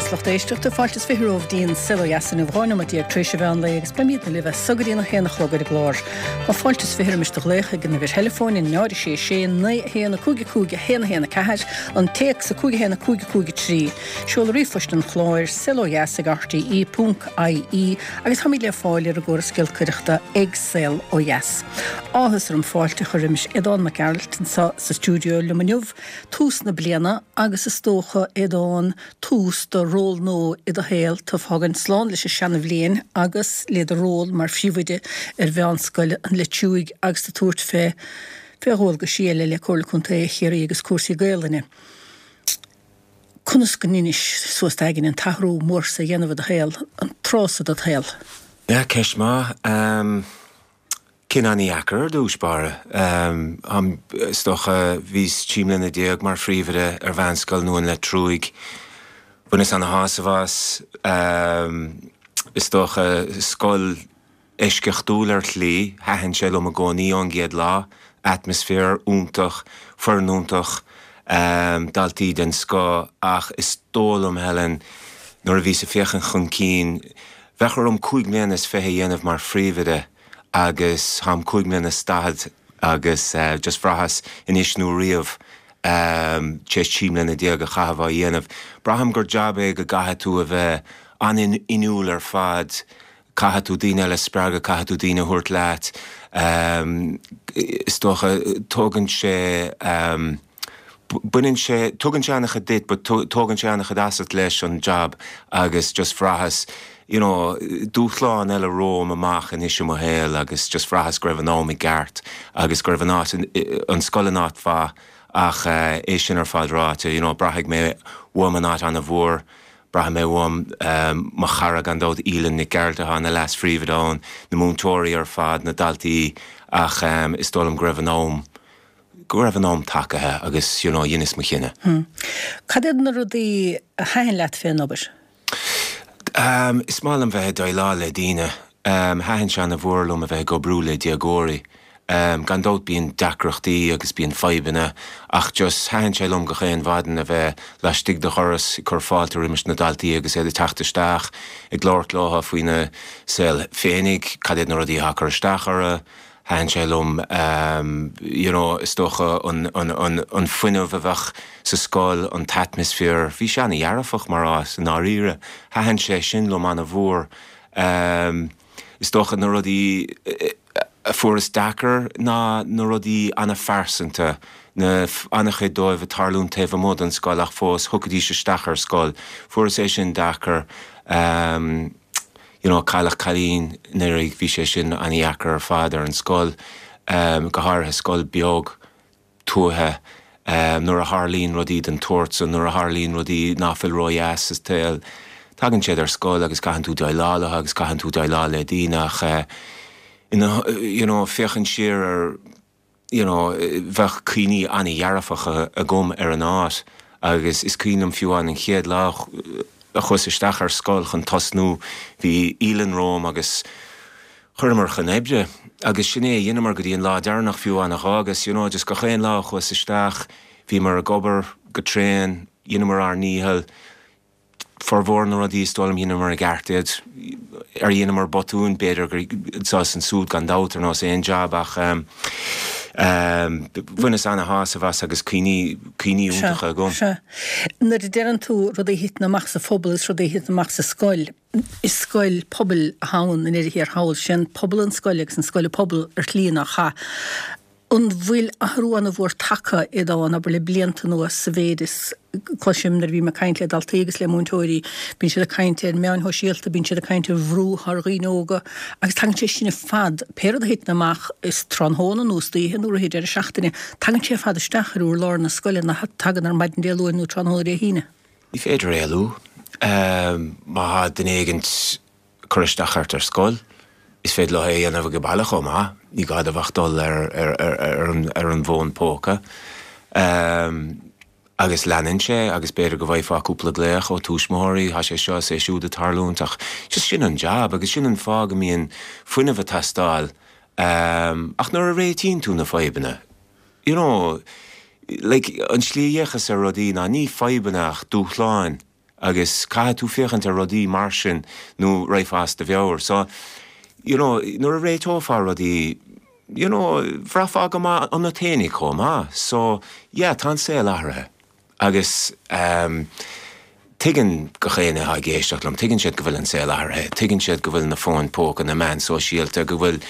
beatha is lucht éisteachta, fáilte is 20 romhaibh dtí'n Saol Ó Dheas inniu, 12 nóiméad tar éis an mheán lae agus beimidne libh as so go dtí'n 1 a chlog ar an gclár. Tá fáilte is 20 roimis do ghlaoch ag an uimhir theileafóin, 0 6 6 9 1 5 5 1 1 4, an téacs 5 1 5 5 3. Seoladh ríomhphoist an chláir, saolodheas ag rte ponc ie agus táimid le fáil ar an gcóras giolcaireachta ag Saol Ó Dheas. Áthas orm fáilte a chur roimis Aodán Mac Gearailt anseo sa stiúideo liom inniu. Tús na bliana agus is dócha, Aodán, tús do ról nua i do shaol, tú ag fágaint slán leis an seana-bhliain agus le do ról mar phríomhoide ar Mheánscoil an Leitriúigh agus tú ag tabhairt fé fé dhualgaisí eile le Comhairle Contae Chiarraí agus cúrsaí Gaolainne. Conas go ndeinis suas d'aigne an t-athrú mór so a dhéanamh i do shaol, an tráth so de do shaol? Yeah, ceist maith. Cinneadh ana-dheacair ar dtús báire. Is dócha, bhíos 13 mbliana mar phríomhoide ar Mheánscoil Nua an Leitriúigh. Bhaineas ana-shásamh as. Is dócha, scoil eisceachtúil ar shlí. Thaitin sé liom i gcónaí ón gcéad lá. Atmaisféar iontach, foireann iontach, daltaí den scoth ach is dóigh liom, Helen, nuair a bhíos ag féachaint chun cinn, Bheadh orm 25 mbliana a dhéanamh mar phríomhoide agus táim 45 mbliana agus just bhraitheas anois nó riamh tar éis 13 mbliana a chaitheamh á dhéanamh. Braithim gur jab é go gcaithfidh tú a bheith an-inniúil ar fad, caithfidh tú daoine eile a spreagadh, caithfidh tú daoine a thabhairt leat. Is dócha, tógann sé. Baineann sé, tugann sé an-chuid duit but tógann sé an-chuid asat leis an jab agus just bhraitheas, you know, dúshlán eile romham amach anois i mo shaol agus just bhraitheas go raibh an am i gceart agus go raibh an áit, an scoil in áit mhaith ach é sin ar fad ráite, you know, braithfidh mé uaim an áit an-mhór, braithfidh mé uaim mo chara gan dabht Aoileann Nic Gearailt atá ina leas-phríomhoide ann, na múinteoirí ar fad, na daltaí ach is dóigh liom go raibh an am, go raibh an am tagaithe agus you know dheineas mo chinneadh. Hm. Cad iad na rudaí a thaitin leat fén obair? Ehm, is maith liom bheith ag déileáil le daoine. Ehm, thaitin sé ana-mhór liom a bheith ag oibriú le déagóirí. Ehm, gan dabht bíonn deacrachtaí agus bíonn fadhbanna ach just thaitin sé liom gach aon mhaidin a bheith laistigh de dhoras ag cur fáilte roimis na daltaí agus iad ag teacht isteach, ag labhairt leo faoina saol féinig, cad iad na rudaí atá ag cur isteach orthu. Thaitin sé liom you know is dócha an an an fuinneamh a bheadh sa scoil, an t-atmaisféar, bhí sé ana-dhearfach mar áit i ndáiríre. Thaitin sé sin liom ana-mhór. Is dócha na rudaí a fuaireas deacair ná na rudaí ana-phearsanta, na ana-chuid dóibh ag tarlúint taobh amuigh den scoil ach fós thiocfaidís isteach ar scoil. Fuaireas é sin deacair. You know, cailleadh cailín anuraidh, bhí sé sin ana-dheacair ar fad ar an scoil, go háirithe scoil beag tuaithe, nuair a tharlaíonn rudaí den tsórt san, nuair a tharlaíonn rudaí ná fuil ródheas sa tsaol, tagann siad ar scoil agus caitheann tú déileáil leo agus caitheann tú déileáil le daoine ach, you know, féachaint siar ar you know, bheadh cuimhní an-dhearfacha agam ar an áit agus is cuimhin liom fiú amháin an chéad lá a chuas isteach ar scoil chun tosnú, bhí Aoileann romham agus chuireamar chun oibre agus sin é a dheineamar go dtí an lá deireanach fiú amháin a dh'fhágas, you know, just gach aon lá a chuas isteach, bhíomar ag obair go tréan, dheineamar ár ndícheall, Formhór na rudaí, is dóigh liom, dheineamar i gceart iad. Ar dheineamar botúin? B'fhéidir gur anseo is ansúd gan dabht, ar nós aon jab, ach bhaineas ana-shásamh as agus cuimhní, cuimhní iontacha agam. Sea. Nuair a deireann tú rudaí a thiteann amach sa phobal is rudaí a thiteann amach sa scoil, is scoil pobail atá ann i ndeireadh thiar thall. Sé an pobal an scoil agus an scoil an pobal ar shlí nach ea? An bhfuil athrú ana-mhór tagtha, a Aodáin, abair le blianta anuas, sa mhéid is cloisim nuair a bhím ag caint le daltaí agus le múinteoirí, bíonn siad ag caint ar meáin shóisialta, bíonn siad ag caint ar bhrú atá ar dhaoine óga agus tagann sé sin ar fad, pé rud a thiteann amach is tráthnóna nó istoíche nó rith an deireadh seachtaine, tagann sé ar fad isteach ar urlár na scoile nach tagann ar maidin Dé Luain nó tráthnóna Dé hAoine. Ní féidir éalú. Má tá duine éigint ag cur isteach ort ar scoil. Is féidir leo é a dhéanamh ag baile chomh maith, ní gá dóibh ach dul ar an bhfón póca. Agus leanann sé agus b'fhéidir go bhfaighfeá cúpla glaoch ó tuismitheoirí, tá sé seo is é siúd ag tarlúint ach just sin an jab agus sin an fáth go mbíonn fuinneamh ag teastáil. Ach nuair a réitíonn tú na fadhbanna, you know, like an tslí a bhféachas ar rudaí ná ní fadhbanna ach dúshláin. Agus caithfidh tú féachaint ar rudaí mar sin nó raghfá as do mheabhair. So, you know, nuair a réiteofá rudaí, you know, bhraithfeá go maith ionat fhéinig chomh maith. So, yeah, tá an saol athraithe. Agus ehm, tuigeann gach éinne atá ag éisteacht liom, tuigeann siad go bhfuil an saol athraithe, tuigeann siad go bhfuil na fóin póca, na meáin sóisialta, go bhfuil,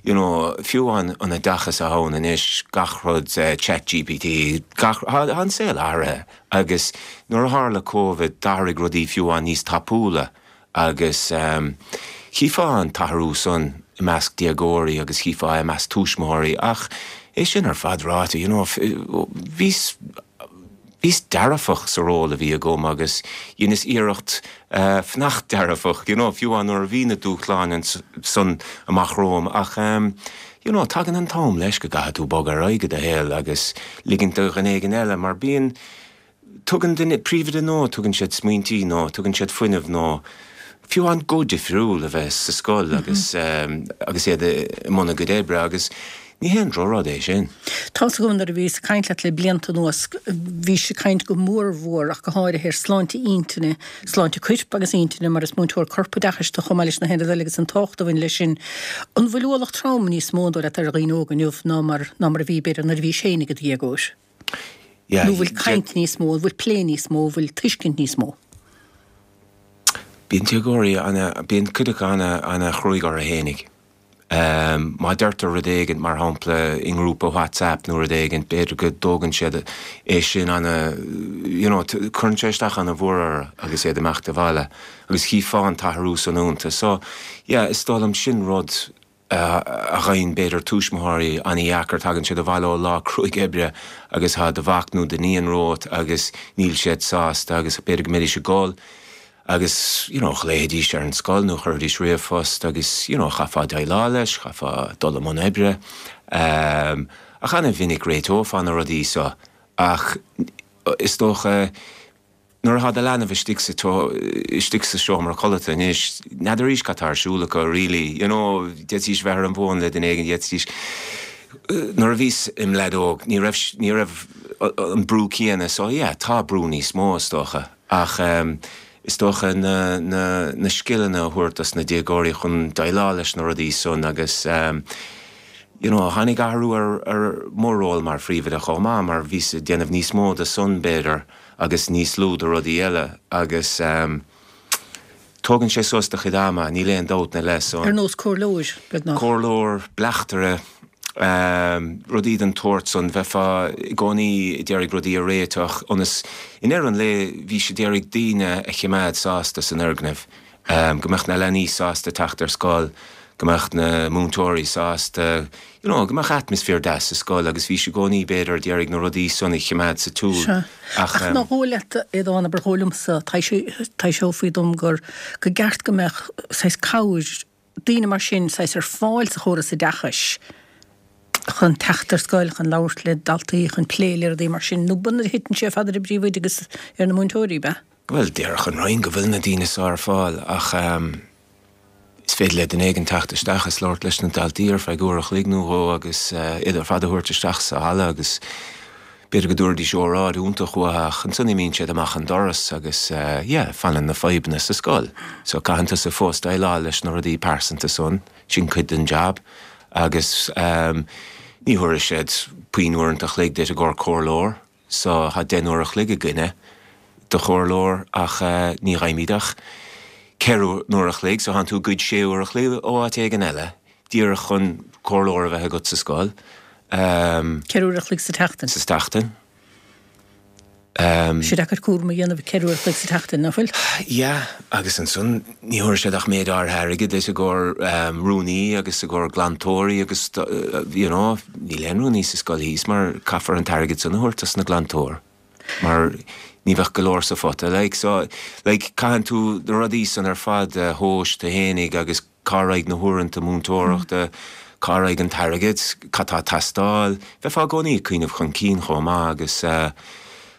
you know, fiú an an oideachas atá ann anois, gach rud, Chat GPT, gach, tá an saol athraithe. Agus nuair a tharla Covid, d'athraigh rudaí fiú amháin níos tapúla agus chífeá an t-athrú san i measc déagóirí agus chífeá é i measc tuismitheoirí ach é sin ar fad ráite, you know, bhíos, bhíos dearfach sa ról a bhí agam agus dheineas iarracht fanacht dearfach, you know, fiú amháin nuair a bhí na dúshláin san amach romham ach you know, tagann an t-am leis go gcaithfidh tú bogadh ar aghaidh i do shaol agus ligint do dhuine éigin eile mar bíonn, tugann duine, príomhoide nua, tugann siad smaointí nó tugann siad fuinneamh nó fiú amháin guth difriúil a bheith sa scoil agus agus iad i mbun a gcuid oibre agus ní haon drochrud é sin. Tá's agam nuair a bhíos ag caint leat le blianta anuas, bhís ag caint go mór mhór ach go háirithe ar sláinte intinne, sláinte coirp agus intinne mar is múinteoir corpoideachais tú chomh maith leis na haon rud eile agus an tábhacht a bhain leis sin. An bhfuil ualach trom níos mó an dóigh leat ar dhaoine óga inniu ná mar ná mar a bhí b'fhéidir nuair a bhís féin i do dhéagóir? Yeah, Nó bhfuil caint níos mó, an bhfuil plé níos mó, an bhfuil tuiscint níos mó? Bíonn déagóirí ana, bíonn cuid acu ana, ana chruaidh orthu fhéinig. Má deirtear rud éigint, mar shampla, i ngrúpa WhatsApp nó rud éigint, b'fhéidir go dtógann siad é sin ana, you know, cuireann sé isteach ana mhór orthu agus iad ag imeacht abhaile agus chífeá an t-athrú san iontu. So, yeah, is dóigh liom sin rud a gheibheann b'fhéidir tuismitheoirí ana dheacair, tagann siad abhaile ó lá cruaidh oibre agus tá do mhac nó d'iníon romhat agus níl siad sásta agus b'fhéidir go mbeidís ag gol. Agus, you know, ghlaofaidís ar an scoil nó chuirfidís ríomhphost agus, you know, chaithfeá déileáil leis, chaithfeá dul i mbun oibre. Ach ana-mhinic réiteofá na rudaí so ach is dócha nuair atá do leanbh istigh sa, istigh sa seomra codlata anois, n'fheadarís cad tá ar siúl acu really, you know, d'fhéadfaidís bheith ar an bhfón le duine éigin, d'fhéadfaidís, nuair a bhíos im leaid óg ní raibh, ní raibh an brú céanna so yeah, tá brú níos mó is dócha. Ach is dócha na, na, na scileanna a thabhairt dos na déagóirí chun déileáil leis na rudaí san agus you know tháinig athrú ar, ar mo ról mar phríomhoide chomh maith mar bhíos ag déanamh níos mó de san b'fhéidir agus níos lú de rudaí eile agus tógann sé suas do chuid ama, níl aon dabht ina leith so. Ar nós comhairleoir, beagnach. Comhairleoir, bleachtaire, rudaí den tsórt san, bheifeá i gcónaí ag iarraidh rudaí a réiteach ionas, i ndeireadh an lae, bhís ag iarraidh daoine a chimeád sásta san fhoirgneamh, go mbeadh na leanaí sásta teacht ar scoil, go mbeadh na múinteoirí sásta, you know, go mbeadh atmaisféar deas sa scoil agus bhís i gcónaí, b'fhéidir, ag iarraidh na rudaí san a chimeád sa tsiúl Sea. ach. Ach nár dhóigh leat, a Aodáin, abair dhóigh liomsa, taibhseofaí dom gur, go gceart go mbeadh saghas cabhair, daoine mar sin saghas ar fáil sa chóras oideachais chun teacht ar scoil, chun labhairt le daltaí, chun plé le rudaí mar sin, nó b'ionann a thiteann sé ar fad ar an bpríomhoide agus ar na múinteoirí, ab ea? Bhuel, déarfadh an Roinn go bhfuil na daoine so ar fáil ach is féidir le duine éigin teacht isteach is labhairt leis na daltaí ar feadh uair a chloig nó dhó agus iad ar fad a thabhairt isteach sa halla agus B'fhéidir go dtabharfaidís óráid iontach uathu ach ansan imíonn siad amach an doras agus yeah, fanann na fadhbanna sa scoil. So caitheann tusa fós déileáil leis na rudaí pearsanta san, sin cuid den jab agus ehm ní thabharfaidh siad puinn uaireanta a chloig duit i gcomhair comhairleoir so tá 10 n-uair a chloig againne do chomhairleoir ach ní fhaighimid ach 4 n-uair a chloig so tánn tú ag goid 6 uair a chloig ó áit éigin eile díreach chun comhairleoir a bheith agat sa scoil. 4 uair a chloig sa tseachtain. Sa tseachtain. Tá sé deacair cúram a dhéanamh 4 uair a chloig sa tseachtain, nach bhfuil? Yeah, agus ansan ní thabharfaidh siad ach méid áirithe airgid duit i gcomhair rúnaí agus i gcomhair glantóirí agus you know, níl aon rúnaí sa scoil thíos mar caithfear an t-airgead san a thabhairt dos na glantóir mar ní bheadh go leor sa phota like so like caitheann tú na rudaí san ar fad a thomhas tú fhéinig agus Cá raghaidh na huaireanta múinteoireachta? Cá raghaidh an t-airgead? Cad tá ag teastáil? Bheifeá i gcónaí ag cuimhneamh chun cinn chomh maith agus.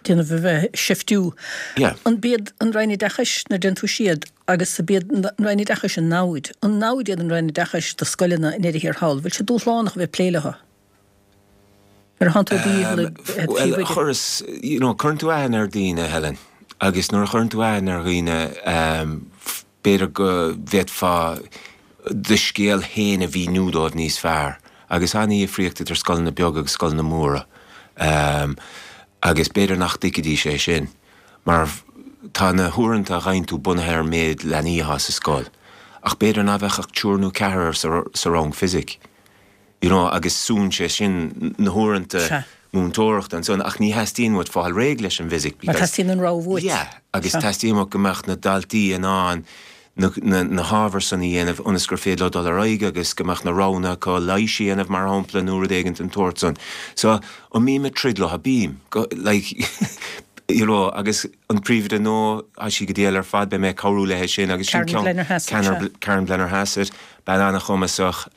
déanamh a bheith seiftiú. Yeah. An b'iad an Roinn Oideachais, nuair a déanann tú siad, agus ab iad an Roinn Oideachais an namhaid, an namhaid iad an Roinn Oideachais do scoileanna i ndeireadh thiar thall, bhfuil sé dúshlánach a bheith ag plé leo? Nuair a thánn tú ag dícheall ag Bhuel, chuireas, you know, cuireann tú aithne ar daoine, Helen. Agus nuair a chuireann tú aithne ar dhaoine, b'fhéidir go bhféadfá do scéal féin a mhíniú dóibh níos fearr. Agus ana-dhifríocht idir scoileanna beaga agus scoileanna móra. Agus b'fhéidir nach dtuigfidís é sin. Mar tá na huaireanta a gheibheann tú bunaithe ar an méid leanaí atá sa scoil. Ach b'fhéidir ná bheadh ach triúr nó ceathrar sa rang fisic. you know agus súnn sé sin na huaireanta múinteoireachta ansan ach ní theastaíonn uait fáil réidh leis an bhfisic because. Mar teastaíonn an rogha uait. Yeah agus teastaíonn uait go mbeadh na daltaí in ann na na na hábhair san a dhéanamh ionas gur féidir leo dul ar aghaidh agus go mbeadh na roghanna acu leighis a dhéanamh mar shampla nó rud éigint den tsórt san. So an mbím ag troid leo? Bím. Go like you know agus an príomhoide nua tá sí go diail ar fad beidh mé ag cabhrú léi sin agus sin Karen Blennerhassett. Karen Blennerhassett. Bean an-chumasach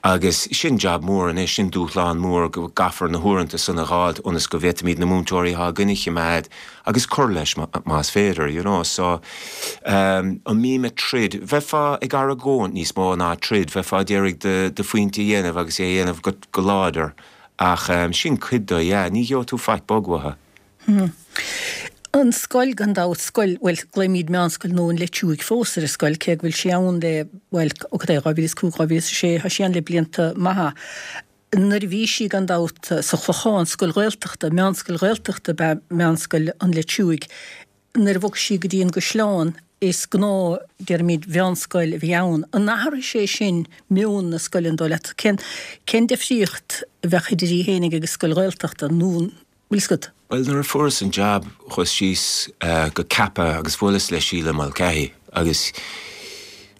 agus sin jab mór anois, sin dúshlán mór go gcaithfear na huaireanta san a dh'fháilt ionas go bhféadfaimid na múinteoirí atá againn a chimeád agus cur leis más féidir, you know. So, an mbím ag troid? Bheifeá ag argóint níos mó ná troid, bheifeá ag iarraidh do phointe a dhéanamh agus é a dhéanamh go láidir ach sin cuid de, yeah, ní gheobhaidh tú faic bog uathu. An scoil, gan dabht, scoil, bhuel, glaoimid Meánscoil Nua an Leitriúigh fós ar an scoil, cé go bhfuil sí ann le, bhuel, ó cad é, 2005, 2006, tá sí ann le blianta maithe. Nuair a bhí sí, gan dabht, sa Chlochán, scoil Ghaeltachta, meánscoil Ghaeltachta ab ea Meánscoil an Leitriúigh. Nuair a bhog sí go dtí an gCaisleán, is gnáth, déarfaimid, mheánscoil a bhí ann. An athraigh sé sin meon na scoile, an dóigh leat? Cén, cén difríocht a bheadh idir í fhéinig agus scoil Ghaeltachta, nó an bhfuil 'fhios agat? Bhuel, nuair a fuaireas an jab, chuas síos go Cappagh agus bhuaileas le Síle Mulcahy agus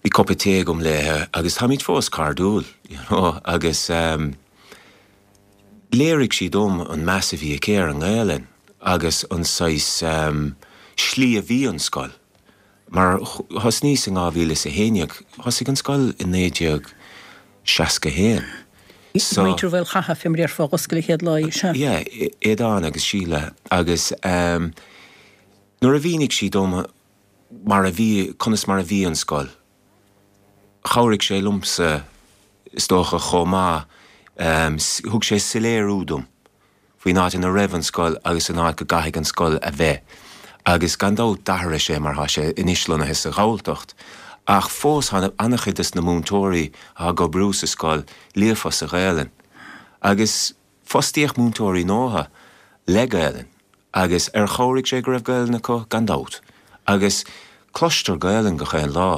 bhí cupa tae agam léithe agus táimid fós cairdiúil, you know, agus léirigh sí dom an meas a bhí aici ar an nGaelainn agus an saghas slí a bhí an scoil. Mar thosnaíos in 2011, thosaigh an scoil i 1961. So. Muintir Mhaolchatha, fé mar a déarfá, a dh'oscail an chéad lá í, sea. Yeah, Aodán agus Síle. Agus nuair a mhínigh sí dom mar a bhí, conas mar a bhí an scoil, chabhraigh sé liomsa, is dócha, chomh maith, thug sé soiléiriú dom. faoin áit ina raibh an scoil agus an áit go gcaithfidh an scoil a bheith. Agus gan dabht d'athraigh sé mar tá sé anois lonnaithe sa Ghalltacht. Ach fós tá an-chuid des na múinteoirí atá ag oibriú sa scoil líofa sa Ghaelainn. Agus fostaíodh múinteoirí nua le Gaelainn. Agus ar chabhraigh sé go raibh Gaelainn acu? Gan dabht. Agus cloistear Gaelainn gach aon lá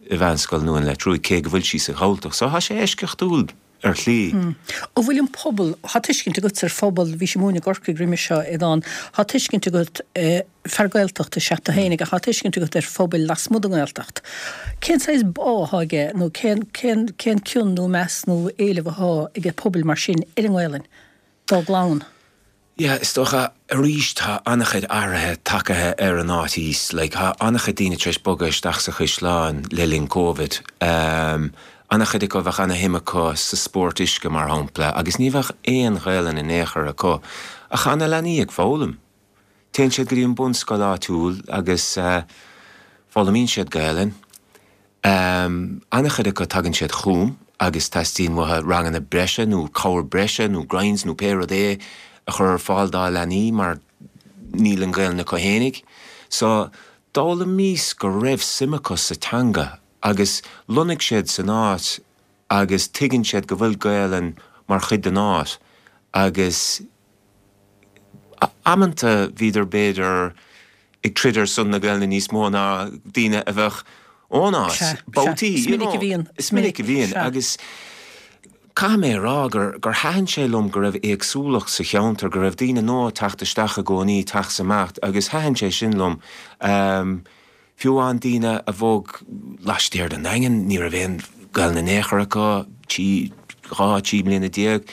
i Mheánscoil Nua an Leitriúigh cé go bhfuil sí sa Ghalltacht. So tá sé eisceachtúil. ar shlí. An bhfuil an pobal, tá tuiscint agat ar phobal, bhís ag múineadh i gCorcaigh roimis seo, Aodán, tá tuiscint agat, fear Gaeltachta is ea tú fhéinig, ach tá tuiscint agat ar phobail lasmuigh den nGaeltacht. Cén saghas bá atá aige nó cén, cén, cén cion nó meas nó éileamh atá aige pobail mar sin ar an nGaelainn dá gclann? Yeah, is dócha, arís tá an-chuid athraithe tagaithe ar an áit thíos, like tá an-chuid daoine tar éis bogadh isteach sa Chaisleán le linn Covid. Ehm, an-chuid acu bheadh ana-shuim acu sa spórt uisce mar shampla agus ní bheadh aon Ghaelainn in aon chor acu. Ach tá na leanaí ag foghlaim. Téann siad go dtí an bunscoil áitiúil agus eh, foghlaimíonn siad Gaelainn. An-chuid acu tagann siad chugam agus teastaíonn uathu ranganna breise nó cabhair breise nó grinds nó pé rud é a chur ar fáil dá leanaí mar níl an Ghaelainn acu fhéinig. So, d'fhoghlaimíos go raibh suim acu sa teanga agus lonnaigh siad san áit agus tuigeann siad go bhfuil Gaelainn mar chuid den áit agus Amanta bhíodar b'fhéidir ag troid ar son na Gaelainne níos mó ná daoine a bheadh ón áit, babhtaí, you know. Is minic a bhíonn. Is minic a bhíonn agus caithfidh mé a rá gur gur thaitin sé liom go raibh éagsúlacht sa cheantar, go raibh daoine nua ag teacht isteach i gcónaí, teacht 's imeacht agus thaitin sé sin liom. Fiú amháin daoine a bhog laistiar den Daingean, ní raibh aon Ghaelainn in aon chor acu, trí, 12, 13 mbliana.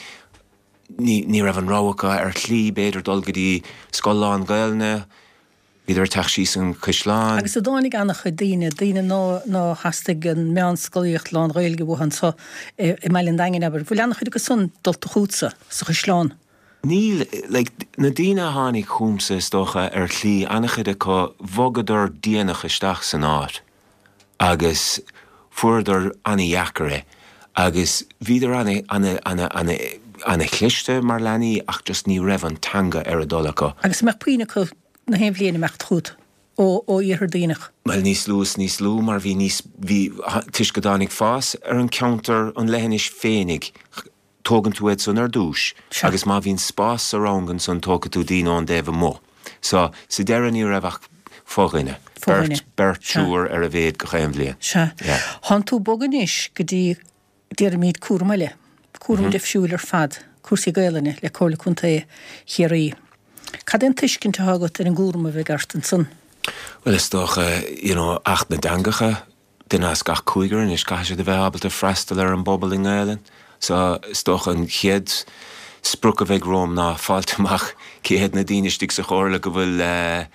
Ní raibh an rogha acu ar shlí, b'fhéidir, dul go dtí scoil lán-Ghaelainne. Bhíodar ag teacht síos an Caisleán. Agus a dtáinig an-chuid daoine, daoine ná theastaigh an meánscolaíocht lán-Ghaeilge uathu anso i mBaile an Daingin, abair, bhfuil an-chuid acu san dulta chughatsa sa Chaisleán? Níl, like, na daoine a tháinig chugamsa, is dócha, ar shlí, an-chuid acu, bhogadar déanach isteach san áit. agus fuaireadar ana-dheacair é agus bhíodar ana, ana, ana, ana, ana-chliste mar leanaí ach just ní raibh an teanga ar a dtoil acu. Agus an mbeadh puinn acu. na haon bhliain imeacht chugat ó Iarthar Duibhneach? Bhuel, níos lú is níos lú mar bhí níos, bhí, toisc go dtáinig fás ar an ceantar, an leithinis féinig, tógann tú iad san ar dtús agus má bhíonn spás sa rang ansan tógfaidh tú daoine ón dtaobh amuigh. So, sa deireadh ní raibh ach fo-dhuine, beirt, beirt, triúr ar a mhéad gach aon bhliain. Sea. Thánn tú ag bogadh anois go dtí, déarfaimid, cúram eile, cúram difriúil ar fad, cúrsaí Gaelainne le Comhairle Contae Chiarraí. Cad é an tuiscint atá agat ar an gcúram a bheidh ort ansan? Bhuel, is dócha, you know, Acht na dTeangacha, duine as gach cúigear anois, caithfidh siad a bheith ábalta freastal ar an bpobal i nGaelainn. So, is dócha an chéad sprioc a bheidh romham ná fáilt amach cé hiad na daoine istigh sa chomhairle go bhfuil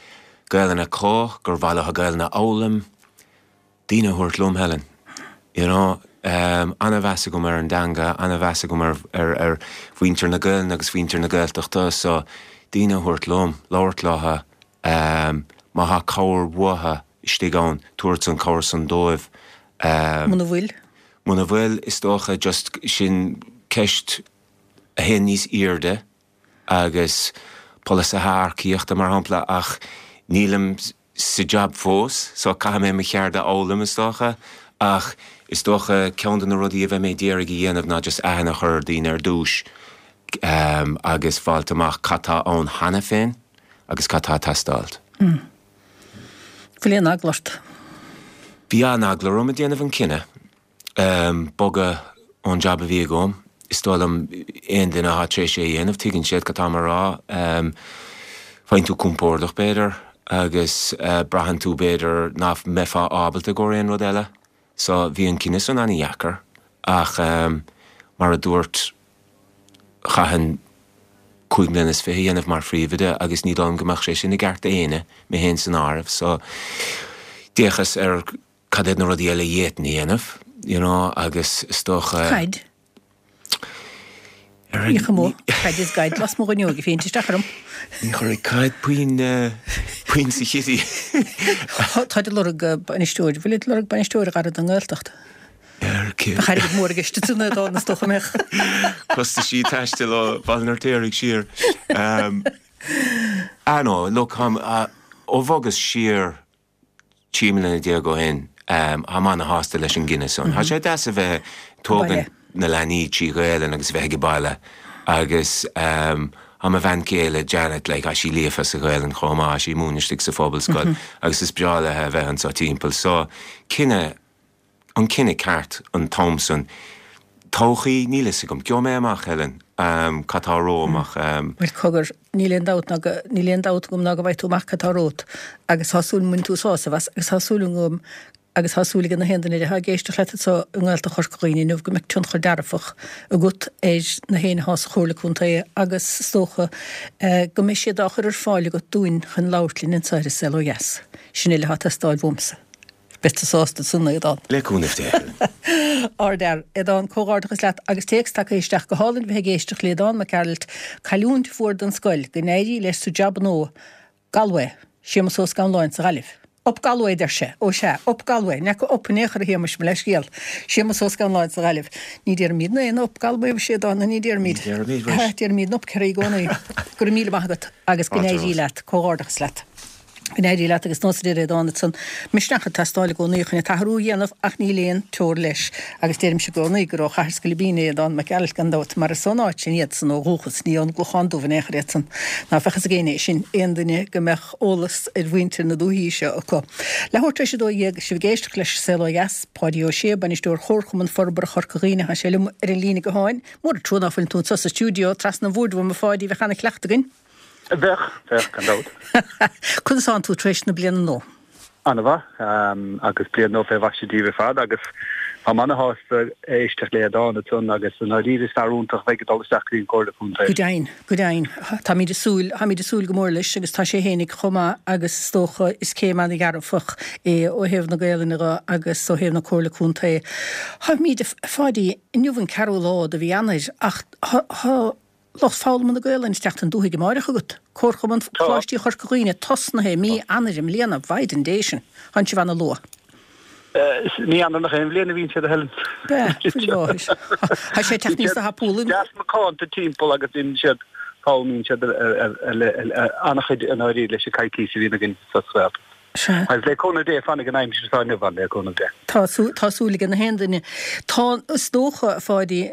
Gaelainn acu, gur mhaith leo Gaelainn a fhoghlaim, daoine a thabhairt liom, Helen. You know, ana-mheas agam ar an dteanga, ana-mheas agam ar, ar, ar mhuintir na Gaelainne agus mhuintir na Gaeltachta, so daoine a thabhairt liom, labhairt leo, má thá cabhair uathu istigh ann, tabhairt an cabhair san dóibh. Muna bhfuil? Muna bhfuil, is dócha just sin ceist a théann níos airde agus polasaithe earcaíochta mar shampla ach nílim sa jab fós so caithfidh mé mo cheard a fhoghlaim is dócha ach is dócha ceann de na rudaí a bheidh mé d'iarraidh a dhéanamh ná just aithne a chur ar daoine ar dtús agus fáilt amach cad tá ann cheana féin agus cad tá ag teastáilt. Bhfuil aon eagla ort? Bhí an-eagla orm ag déanamh an cinneadh bogadh ón jab a bhí agam. Is dóigh liom aon duine atá tar éis é a dhéanamh tuigeann siad cad táim a rá. Faigheann tú compordach b'fhéidir agus braitheann tú b'fhéidir nach mbeifeá ábalta i gcomhair aon rud eile. So bhí an cinneadh san an-dheacair ach mar a dúirt chaithfinn 25 mbliana a dhéanamh mar phríomhoide agus ní dóigh liom go mbeadh sé sin i gceart d'éinne, mé féin san áireamh. So d'fhéachas ar cad iad na rudaí eile a d'fhéadfainn a dhéanamh, you know, agus is dócha. Caid. Bhíodh amuigh, caid is gaid lasmuigh den fhuinneog ag féachaint isteach orm. Ní chuirfidh caid puinn, puinn sa chití. Táid ag lorg bainisteoir, bhfuil ag lorg bainisteoir a Dhara don nGaeltacht? Bheadh airgead mór i gceist ansin a Aodáin is dócha mbeadh. Costaisí taistil ó Bhaile an Fheirtéaraigh siar. Ah no, look, ó bhogas siar 13 mbliana ó shin, táim ana-shásta leis an gcinneadh san. Tá sé deas a bheith ag tógaint na leanaí trí Ghaelainn agus a bheith ag baile agus tá mo bhean chéile, Janet, like, tá sí líofa sa Ghaelainn chomh maith, tá sí ag múineadh istigh sa phobalscoil agus is breá léi a bheith anseo timpeall. So, cinneadh an cinneadh ceart an t-am san. Todhchaí, níl fhios agam. Gheobhaidh mé amach, Helen, cad tá romham ach. Bhuel, cogar, níl aon dabht ná go, níl aon dabht agam ná go bhfaighidh tú amach cad tá romhat agus tá súil go mbainfidh tú sásamh as agus tá súil agam agus tá súil ag na haon duine atá ag éisteacht leat anseo i nGaeltacht Chorca Dhuibhne inniu go mbeidh tionchar dearfach agat ar na héinne atá sa Chomhairle Contae agus is dócha go mbeidh siad á chur ar fáil agat dúinn chun labhairt linn anseo ar An Saol Ó Dheas. Sin uile atá ag teastáil uaimse. Beidh tú sásta san, a Aodáin. Le cúnamh Dé. Ardfhear. Aodán, comhghairdeachas leat agus téacs tagtha isteach. Go hálainn bheith ag éisteacht le Aodán Mac Gearailt. Cailliúint mhór don scoil. Go n-éirí leis sa jab nua. Galway. Séamus Ó Scanláin sa Ghaillimh. Up Galway, a deir sé. Ó sea, Up Galway. Ní fhaca up in aon chor a Shéamuis, mo leithscéal. Séamus Ó Scanláin sa Ghaillimh. Ní déarfaimid aon Up Galway, a Aodáin, ní déarfaimid. Ní déarfaimid, mhuis. Déarfaimid Up Kerry i gcónaí. Go raibh míle maith agat agus go n-éirí leat. Comhghairdeachas leat. Go n-éirí leat agus nós a deir Aodán ansan, misneach ag teastáil i gcónaí chun an t-athrú a dhéanamh ach níl aon teora leis. Agus deirimse i gcónaí gur ó Chathair Scoilbín é Aodán Mac Gearailt gan dabht, mar is ón áit sin iadsan ó dhúchas, ní ón gClochán Dubh in aon chor iadsan. Ná bheadh fhios ag éinne é sin, aon duine go mbeadh eolas ar mhuintir na dúichí seo acu. Leathuair tar éis 12, sibh ag éisteacht leis An Saol Ó Dheas, Páidí Ó Sé, Bainisteoir Chomharchumann Forbartha Chorca Dhuibhne, tá sé liom ar an líne gutháin. Mór an trua ná fuileann tú anseo sa stiúideo, trasna an bhoird uaim a Pháidí, bheadh ana-chleachtadh againn. Bheadh, bheadh, gan dabht. Conas tánn tú tar éis na bliana nua? An-mhaith, agus bliain nua fé mhaise daoibh ar fad, agus táim ana-shásta éisteacht le Aodán ansan, agus i ndáiríre is fear iontach a bheidh ag dul isteach go dtí an Chomhairle Contae. Go deimhin, go deimhin. Táimid ag súil, táimid ag súil go mór leis, agus tá sé fhéinig chomh maith, agus is dócha is céim ana-dhearfach é ó thaobh na Gaelainne dhe agus ó thaobh na Comhairle Contae. Táimid, a Pháidí, inniu an ceathrú lá de mhí Eanáir, ach tá, Lucht foghlama na Gaelainne ag teacht chun dúthaigh amáireach agat. Comharchumann Choláistí Chorca Dhuibhne tosnaithe i mí Eanáir i mbliana, Mhaighdean Dé sin. Tánn sibh ana luath. Is mí Eanáir nach aon bhliain a bhíonn siad, a Helen. Bea, faoi láthair. Tá sé ag teacht níos tapúla. Deas macánta timpeall agus bíonn siad. Foghlaimíonn siad an-chuid i ndáiríre leis an coicís a bhíonn againn sa Ghaeltacht. Sea. Agus le cúnamh Dé, fanfaidh an aimsir atá inniu ann, le cúnamh Dé. Tá, tá súil ag na haon duine. Tá, is dócha, a Pháidí,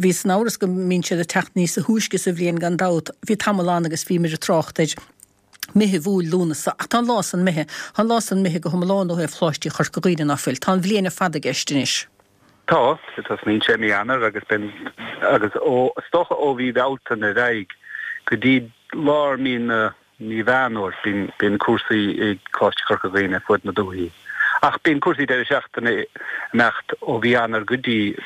bhíos in amhras go mbíonn siad ag teacht níosa thúisce sa bhliain gan dabht. Bhí tamall ann agus bhíomar ag trácht ar Meitheamh, Iúil, Lúnasa, ach tá an lá san imithe. Tá an lá san imithe go hiomlán ó thaobh Choláistí Chorca Dhuibhne, ná fuil? Tá an bhliain ar fad i gceist anois. Tá, tosnaíonn sé i mí Eanáir agus bíonn, agus ó, is dócha ó mhí Bhealtaine ar aghaidh go dtí lár mí na, mí Mheán Fhómhair, bíonn, bíonn cúrsaí i gColáiste Chorca Dhuibhne ar fuaid na dúichí. Ach bíonn cúrsaí deireadh seachtaine ag imeacht ó mhí Eanáir go dtí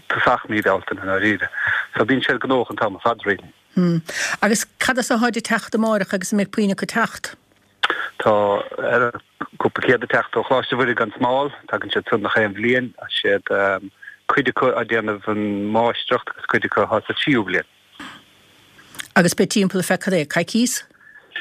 tosach mí Bhealtaine i ndáiríre. So bíonn siad gnóthach an t-am ar fad really. Hm. Agus cad as atáid ag teacht amáireach agus an mbeidh puinn acu ag teacht? Tá cúpla céad ag teacht ó Choláiste Mhuire gan Smál. Tagann siad san nach aon bhliain. Tá siad, cuid acu á déanamh an máistreacht agus cuid acu atá sa tríú bliain. Agus beidh timpeall ar feadh cad é, coicís?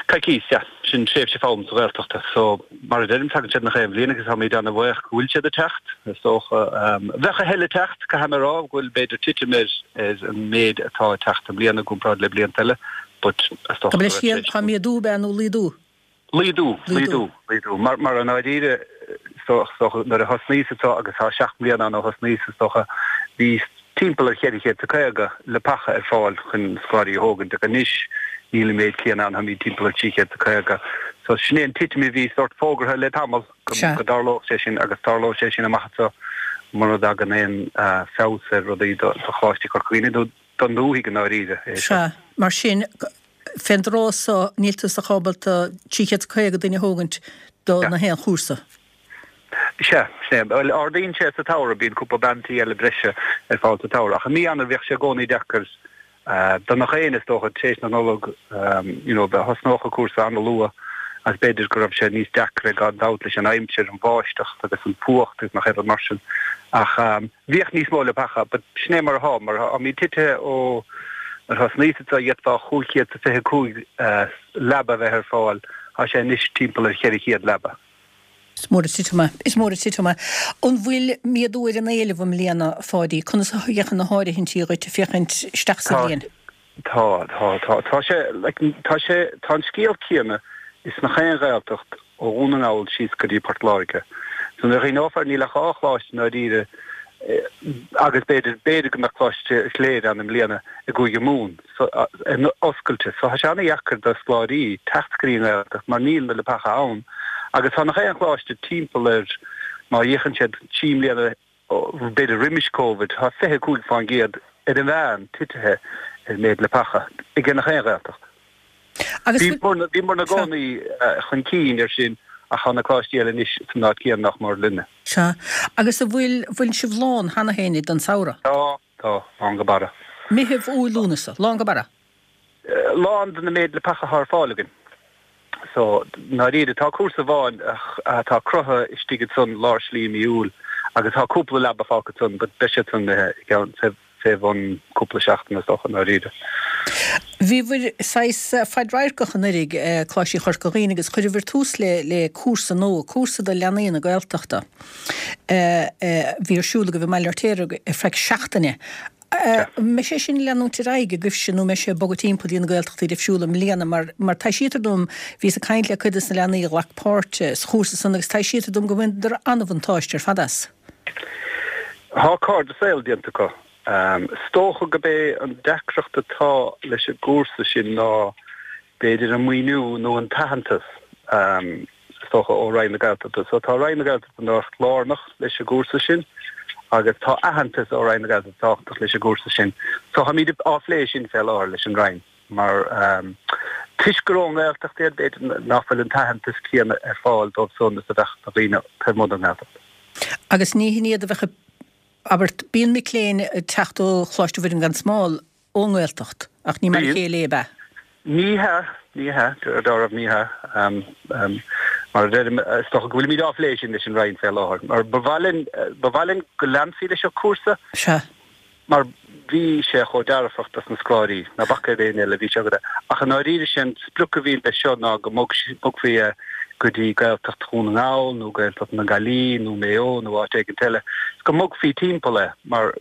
Coicís, yeah. Sin tréimhse foghlama sa Ghaeltacht. So, mar a deirim, tagann siad nach aon bhliain agus táimid ana-bhuíoch go bhfuil siad ag teacht, is dócha. Bheadh a thuilleadh ag teacht, caithfidh mé a rá, go bhfuil b'fhéidir titim ar ar an méid atá ag teacht i mbliana i gcomparáid le blianta eile, but is dócha go raibh sé. Tá méadú ab ea nó laghdú? Laghdú, laghdú, laghdú. Mar, mar i ndáiríre, is dócha, nuair a thosnaíos anseo, agus tá 7 mbliana ann ó thosnaíos, is dócha, bhí timpeall ar 450 leapacha ar fáil chun scoláirí a thógaint, ach anois níl an méid céanna ann, táimid timpeall ar 350. So sin é an titim a bhí sórt fógartha le tamall go dtarlódh sé sin, agus tarlóidh sé sin amach anseo mura dtagann aon feabhas ar rudaí do Choláiste Chorca Dhuibhne nó don dúthaigh i ndáiríre é seo. Sea, mar sin, fén dtráth so, níl tusa ach ábalta 350 duine a thógaint do na haon chúrsa. Sea, sin é. Bhuel, ardaíonn sé sa tsamhradh, bíonn cúpla bean tí eile breise ar fáil sa tsamhradh. Ach i mí Eanáir bhíodh sé i gcónaí deacair do nach éinne, is dócha, tar éis na Nollag, you know, thosnódh an cúrsa an-luath agus b'fhéidir go raibh sé níos deacra gan dabht leis an aimsir, an bháisteach agus an fuacht agus nach aon rud mar sin. Ach bhíodh níos mó leapacha, but sin é mar atá, mar táimid titithe ó nuair a thosnaíos anseo d'fhéadfá 525 leaba a bheith ar fáil, tá sé anois timpeall ar 400 leaba. Is mór an titim é. Is mór an titim é. An bhfuil méadú ar an éileamh i mbliana, a Pháidí? Conas a fhéachann na háirithintí dhuit ag féachaint isteach sa bhliain? Tá, tá, tá. Tá sé, like, tá sé, tá an scéal céanna ins nach aon Ghaeltacht ó Dhún na nGall síos go dtí Port Láirge. So nuair a chuimhneofar, níl ach dhá choláiste i ndáiríre agus b'fhéidir, b'fhéidir go mbeadh Coláiste Chléire ann i mbliana i gCúige Mumhan. So, oscailte. So tá sé an-dheacair do scoláirí teacht go dtí an Ghaeltacht mar níl na leapacha ann agus tá nach aon choláiste timpeall ar, má fhéachann siad 3 mbliana b'fhéidir roimis Covid, tá 25% ar an mheán titithe ar méid leapacha ag nach aon Ghaeltacht. Agus Bhíomar ina gcónaí chun cinn ar sin ach tá na coláistí eile anois san áit chéanna nach mór linne. Sea. Agus an bhfuil, bhfuil sibh lán cheana féin don samhradh? Tá. Tá, lán go barra. Meitheamh, Iúil, Lúnasa. Lán go barra. Lán de na méid leapacha atá ar fáil againn. So, ndáiríre, tá cúrsa amháin atá cruthaithe istigh ansan lár slí i mí Iúil agus tá cúpla leaba fágtha ansan but beidh siad san imithe i gceann fé bhun cúpla seachtaine is dócha, i ndáiríre. Bhíobhair saghas fadradharcach anuraidh, Coláistí Chorca Dhuibhne, agus chuireabhair tús le le cúrsa nua, cúrsa do leanaí na Gaeltachta. a bhí ar siúl agaibh i mBaile Bhirtéir ar feadh seachtaine. An mbeidh sé sin ag leanúint ar aghaidh agaibhse nó an mbeidh sé ag bogadh timpeall dtí na Gaeltachtaí difriúla i mbliana mar mar taibhsítear dom, bhíos ag caint le cuid des na leanaí a ghlac páirt sa chúrsa san agus taibhsítear dom go mbaineadar an-bhuntáiste ar fad as. Tá cairde saoil déanta acu. Is dócha gurb é an deacracht atá leis an gcúrsa sin ná b'fhéidir an maoiniú nó an t-aitheantas, is dócha, ó Roinn na Gaeltachta. So tá Roinn na Gaeltachta nách lárnach leis an gcúrsa sin agus tá aitheantas ó Roinn na Gaeltachta tábhachtach leis an gcúrsa sin. So táimid á phlé sin fé láthair leis an Roinn mar toisc gur ón nGaeltacht iad, b'fhéidir nach bhfuil an t-aitheantas céanna ar fáil dóibh san is a bheadh do dhaoine taobh amuigh den nGaeltacht. Agus ní hin iad a bheadh ag, abair, bíonn mic léinn ag teacht ó Choláiste Mhuire gan Smál ón nGaeltacht, ach ní mar a chéile é, ab ea? Ní hea, ní hea, dáiríre ní hea. Mar a deirim, is dócha go bhfuilimid á phlé sin leis an Roinn fé láthair, mar ba mhaith linn, ba mhaith linn go leanfaí leis an chúrsa. Sea. Mar bhí sé chomh dearfach dos na scoláirí, ná bac ar éinne eile, bhí sé go, ach i ndáiríre sé an sprioc a bhí leis seo ná go mbogfaí é go dtí Gaeltacht Dhún na nGall nó Gaeltacht na Gaillimhe nó Maigh Eo nó áit éigint eile, go mbogfaí timpeall é, mar.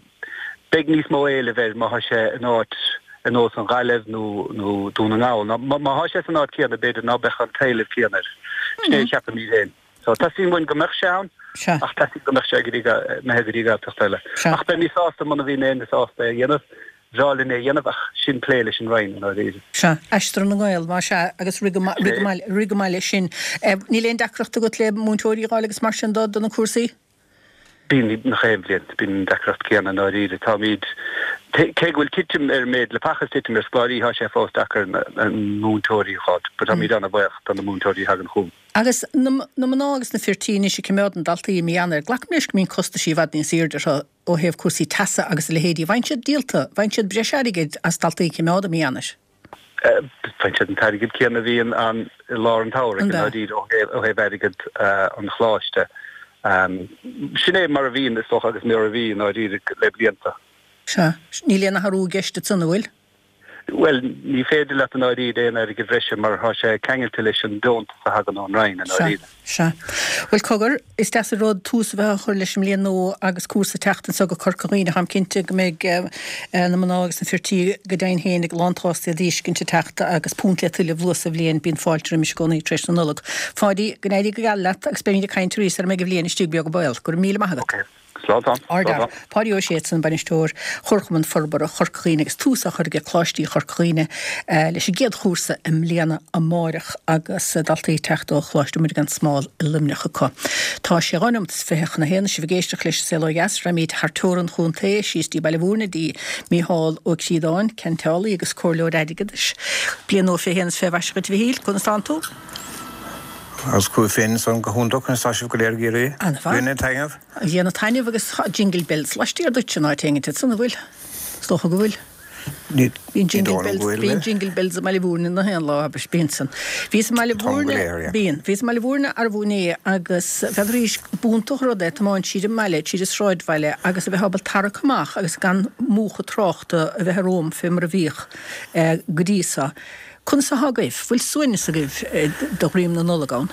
Beidh níos mó éilimh air má thá sé in áit. Ar nós an Ghaillimh nó nó Dún na nGall. Nó má thá sé san áit céanna b'fhéidir ná beadh an t-éileamh céanna air. Sin é a cheapaimid féin. So teastaíonn uainn go mbeadh sé ann ach teastaíonn go mbeadh sé go dtí imithe go dtí Gaeltacht eile. Ach beimid sásta muna bhíonn éinne sásta é a dhéanamh, bhreá linn é a dhéanamh ach sin plé leis an Roinn i ndáiríre. Sea. Aistear na nGael, más ea, agus rith go rith go maith leis sin. Níl aon deacracht agat le múinteoirí a fháil agus mar sin do do na cúrsaí? Bíonn nach aon bhliain, bíonn an deacracht céanna i ndáiríre. Táimid, cé go bhfuil titim ar an méid leapacha is titim ar scoláirí, tá sé fós deacair na múinteoirí a fháil. But táimid an-bhuíoch do na múinteoirí a thagann chugainn. Agus na mná agus na fir tí anois ag coimeád na ndaltaí i mí Eanáir, glacaim leis go mbíonn costaisí i bhfad níos airde orthu ó thaobh cúrsaí teasa agus a leithéidí. An bhfaigheann siad díolta, an bhfaigheann siad breis airgid as daltaí a choimeád i mí Eanáir? Faigheann siad an t-airgead céanna a bhíonn ann i lár an tsamhraidh, i ndáiríre, ó thaobh airgead an choláiste. Sin é mar a bhíonn, is dócha, agus mar a bhí, i ndáiríre, le blianta. Sea. Níl aon athrú i gceist ansan, an bhfuil? Bhuel, ní féidir leat i ndáiríre aon airgead bhreise mar tá sé ceangailte leis an deontas a thagann ón Roinn, i ndáiríre. Sea. Bhuel, cogar, is deas an rud tús a bheith á chur leis an mbliain nua agus cúrsa ag teacht anso go Corca Dhuibhne. Táim cinnte go mbeidh na mná agus na fir tí go deimhin féin ag lántshásta iad a fheiscint ag teacht agus punt le tuilleamh luath sa bhliain. Bíonn fáilte roimis i gcónaí tar éis na Nollag. Pháidí, go n-éirí go geal leat agus beimid ag caint arís sara mbeidh an bhliain istigh beag an baol. Go raibh míle maith agat. Ok. Slán. Ardfhear. Páidí Ó Sé ansan, Bainisteoir Chomharchumann Forbartha Chorca Dhuibhne agus tús á chur aige Coláistí Chorca Dhuibhne leis an gcéad chúrsa i mbliana amáireach agus daltaí ag teacht ó Choláiste Muire gan Smál i Luimneach acu. Tá sé 2 nóimeat is 20 chun a haon is sibh ag éisteacht leis an Saol Ó Dheas. Raghaimid thar teorainn chontae, síos dtí Baile Mhúirne, dtí Mícheál Ó Críodáin, ceanteálaí agus comhairleoir airgeadais. Bliain nua fé shéan is fé mhaise dhuit a Mhichíl, conas tánn tú? Agus chugaibh féin ansan go hiontach, conas tá sibh go léir ag iarraidh? An-mhaith. Ag déanamh taitneamh? Ag déanamh taitneamh agus tá jingle bells laistiar duit in áit éigint ansan, an bhfuil? Is dócha go bhfuil. Ní Bíonn jingle bells, bíonn jingle bells i mBaile Mhúirne na haon lá, abair, bíonn san. Bhíos i mBaile Mhúirne, bíonn, bhíos i mBaile Mhúirne arbú inné agus b'fhéidir b'iontach an rud é tiomáint tríd an mbaile, tríd an sráidbhaile agus a bheith ábalta tarrac amach agus gan múchadh tráchta a bheith romham fé mar a bhíodh go dtí so. Conas atá agaibh? Bhfuil suaimhneas agaibh de dhroim na Nollag ann?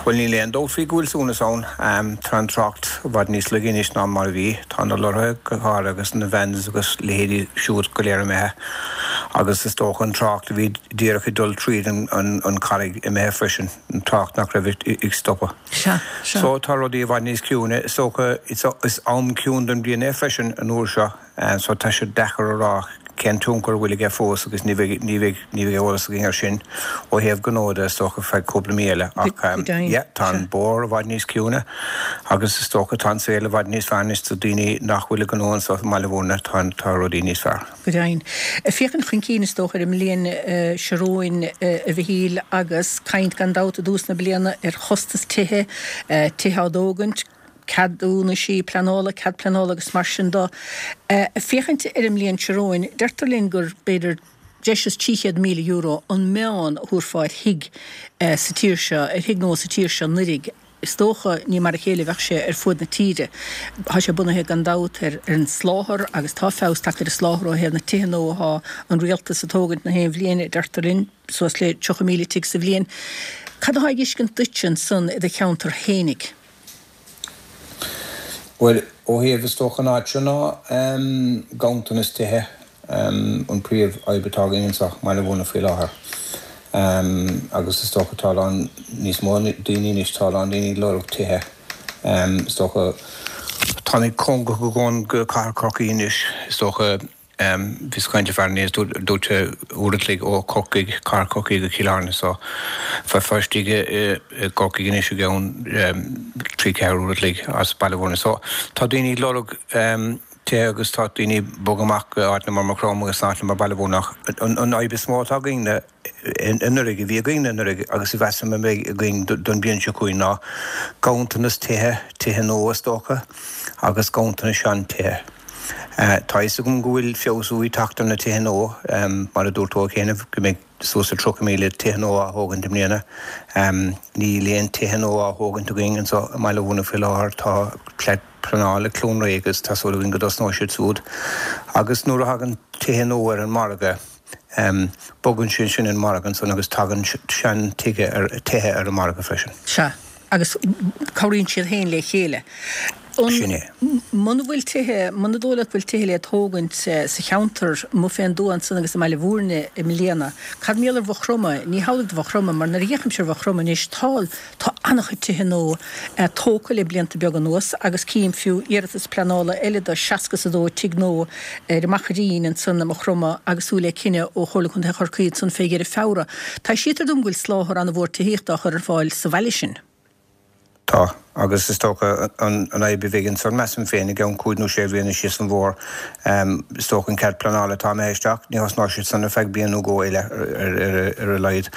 Bhuel, níl aon dabht faoi go bhfuil suaimhneas ann. Tá an trácht i bhfad níos laige anois ná mar a bhí. Tá na lorraithe go háirithe agus na vans agus leithéidí siúd go léir imithe agus is dócha an trácht a bhí díreach ag dul tríd an Charraig imithe freisin, an trácht nach raibh ag stopadh. Sea, sea. So tá rudaí i bhfad níos ciúine. Is dócha is am ciúin den bhliain é freisin an uair seo. So tá sé deacair a rá cén tionchar a bhfuil aige fós agus ní bheidh, ní bheidh, ní bheidh eolas againn air sin ó thaobh gnó de is dócha feadh cúpla mí eile ach yeah tá an bóthar i bhfad níos ciúine agus is dócha tá an saol i bhfad níos fearr anois do daoine nach bhfuil ag gnó anseo i mBaile Mhúirne, tá, tá rudaí níos fearr. Go deimhin. Féachaint chun cinn is dócha ar an mbliain seo romhainn a Mhichíl agus caint gan dabht i dtús na bliana ar chostas tithe, tithe á dtógaint, ceadúnaisí pleanála, cead pleanála agus mar sin de. Féachaint ar an mbliain seo romhainn, deirtear linn gur b'fhéidir breis is €300,000 an meán a thabharfá ar thigh sa tír seo, ar thigh nua sa tír seo anuiridh. Is dócha, ní mar a chéile a bheadh sé ar fuaid na tíre. Tá sé bunaithe gan dabht ar an soláthar agus tá feabhas tagtha ar an soláthar ó thaobh na tithe nua atá an rialtas ag tógaint na haon bhliain, deirtear linn. suas le 30,000 tigh sa bhliain. Cad atá ag fheiscint duitse ansan i do cheantar fhéinig? Bhuel, ó thaobh is dócha an áit seo ná ganntanas tithe an príomh fhadhb atá againn anseo i mBaile Mhúirne faoi láthair. Agus is dócha tá a lán níos mó daoine anois, tá a lán daoine ag lorg tithe. Is dócha táimid cóngarach go go Cathair Chorcaí anois, is dócha. Bhíos ag caint le fear inné is dúirt sé uair a chloig ó Chorcaigh, Cathair Chorcaí go Cill Airne so bheifeá istigh i gCorcaigh anois i gceann 3, 4 uair a chloig as Baile Mhúirne. So tá daoine ag lorg tithe agus tá daoine ag bogadh amach go áiteanna mar Maigh Chromtha agus áiteanna mar Baile Mhúirne ach an fhadhb is mó atá againn anuraidh, a bhí againn anuraidh agus a mheasaim a mbeidh againn don bhliain seo chugainn ná ganntanas tithe, tithe nua is dócha, agus ganntanas sean-tithe. Tá a fhios agam go bhfuil feabhsú ag teacht ar na tithe nua, mar a dúirt tú cheana, go mbeidh suas le 30,000 tithe nua á thógaint i mbliana. Níl aon tithe nua á thógaint againn anseo i mBaile Mhúirne faoi láthair, tá cead pleanála ag Cluain Rí agus tá súil againn go dtosnóidh siad siúd. Agus nuair a thagann tithe nua ar an margadh, Bogann sé sin an margadh ansan agus tagann sean-tithe ar, tithe ar an margadh freisin. Sea. Agus cabhraíonn siad féin le chéile. Sin é. Muna bhfuil tithe, muna dóigh leat go bhfuil tithe le tógaint sa cheantar amuigh fén dtuath ansan agus i mBaile Bhúirne i mbliana, cad mar gheall ar Mhaigh Chromtha? Ní hamhlaidh do Mhaigh Chromtha, mar nuair a fhéachaimse ar Mhaigh Chromtha anois, tá, tá an-chuid tithe nua tógtha le blianta beaga anuas agus cím fiú iarratas pleanála eile do 60 is 2 tigh nua ar an Machairín ansan i Maigh Chromtha agus súil le cinneadh ó Chomhairle Contae Chorcaí ansan fé dheireadh Feabhra. Taibhsítear dom go bhfuil soláthar an-mhór tithíochta á chur ar fáil sa bhaile sin. Tá, agus is dócha an fhadhb a bheidh ansan, measaim féin, i gceann cúig nó sé bhliana síos an bhóthar, is dócha an cead pleanála atá imithe isteach, ní thosnóidh siad san ar feadh bliain nó dhó eile ar a laghad.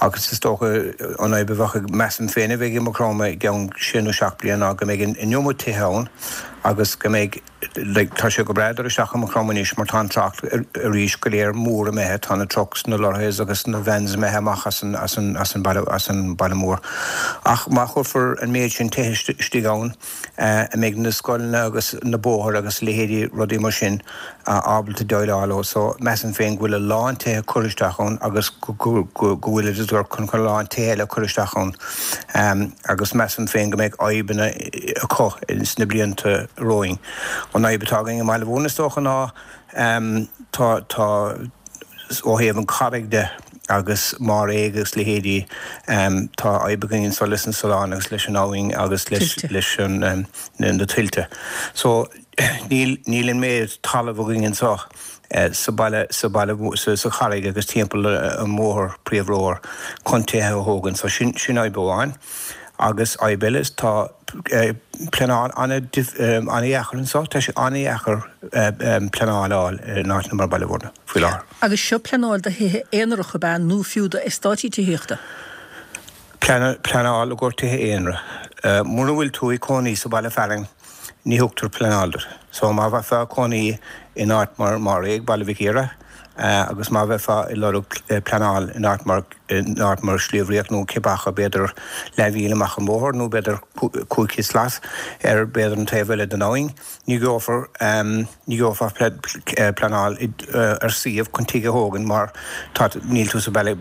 Agus is dócha an fhadhb a bheadh, measaim féin, a bheidh i Maigh Chromtha i gceann sé nó seacht bliana ná go mbeidh an iomad tithe ann agus go mbeidh, Like, tá sé go breá dul isteach i Maigh Chromtha anois mar tá an trácht arís go léir mór imithe, tá na trucks, na lorries agus na vans imithe amach as an, as an, as an baile, as an baile mór. Ach má chuirfear an méid sin tithe istigh ann, an mbeidh na scoileanna agus na bóthair agus a leithéidí rudaí mar sin ábalta déileáil leo. So, measaim féin go bhfuil a lán tithe curtha isteach ann agus go, go, go, go bhfuil iad chun a lán tithe eile a chur isteach ann. Agus measaim féin go mbeidh fadhbanna acu sna blianta romhainn. An fhadhb atá againn i mBaile Bhúirne is dócha ná tá, tá, ó thaobh an Charraig de agus Máiréag agus leithéidí, tá fadhb againn anso leis an Sullán agus leis an abhainn agus leis, leis an, na tuilte. So níl, níl an méid talamh againn anso sa baile, sa baile, sa Charraig agus timpeall an bhóthair, príomhbhóthar, chun tithe a thógaint. So sin, sin fhadhb amháin. Agus fhadhb eile, tá pleanáil an-dheacair anseo, tá sé an-dheacair pleanáil a fháil in áiteanna mar Baile Bhúirne faoi láthair. Agus seo pleanáil do thithe aonaracha ab ea nó fiú do eastáití tithíochta? Pleanáil i gcomhair tithe aonair. Mura bhfuil tú ag cónaí sa bhaile fearainn, ní thugtar pleanáil duit. So má bheifeá ag cónaí in áit mar Máiréag, Baile Mhic Íre, agus má bheifeá ag lorg pleanáil in áit mar in áit mar Sliabh Riach nó cibé acu, b'fhéidir leathmhíle amach an bóthar nó b'fhéidir 500 slat ar b'fhéidir an taobh eile den abhainn, ní gheofar ní gheofá pleanáil ar suíomh chun tigh a thógaint mar tá níl tú sa baile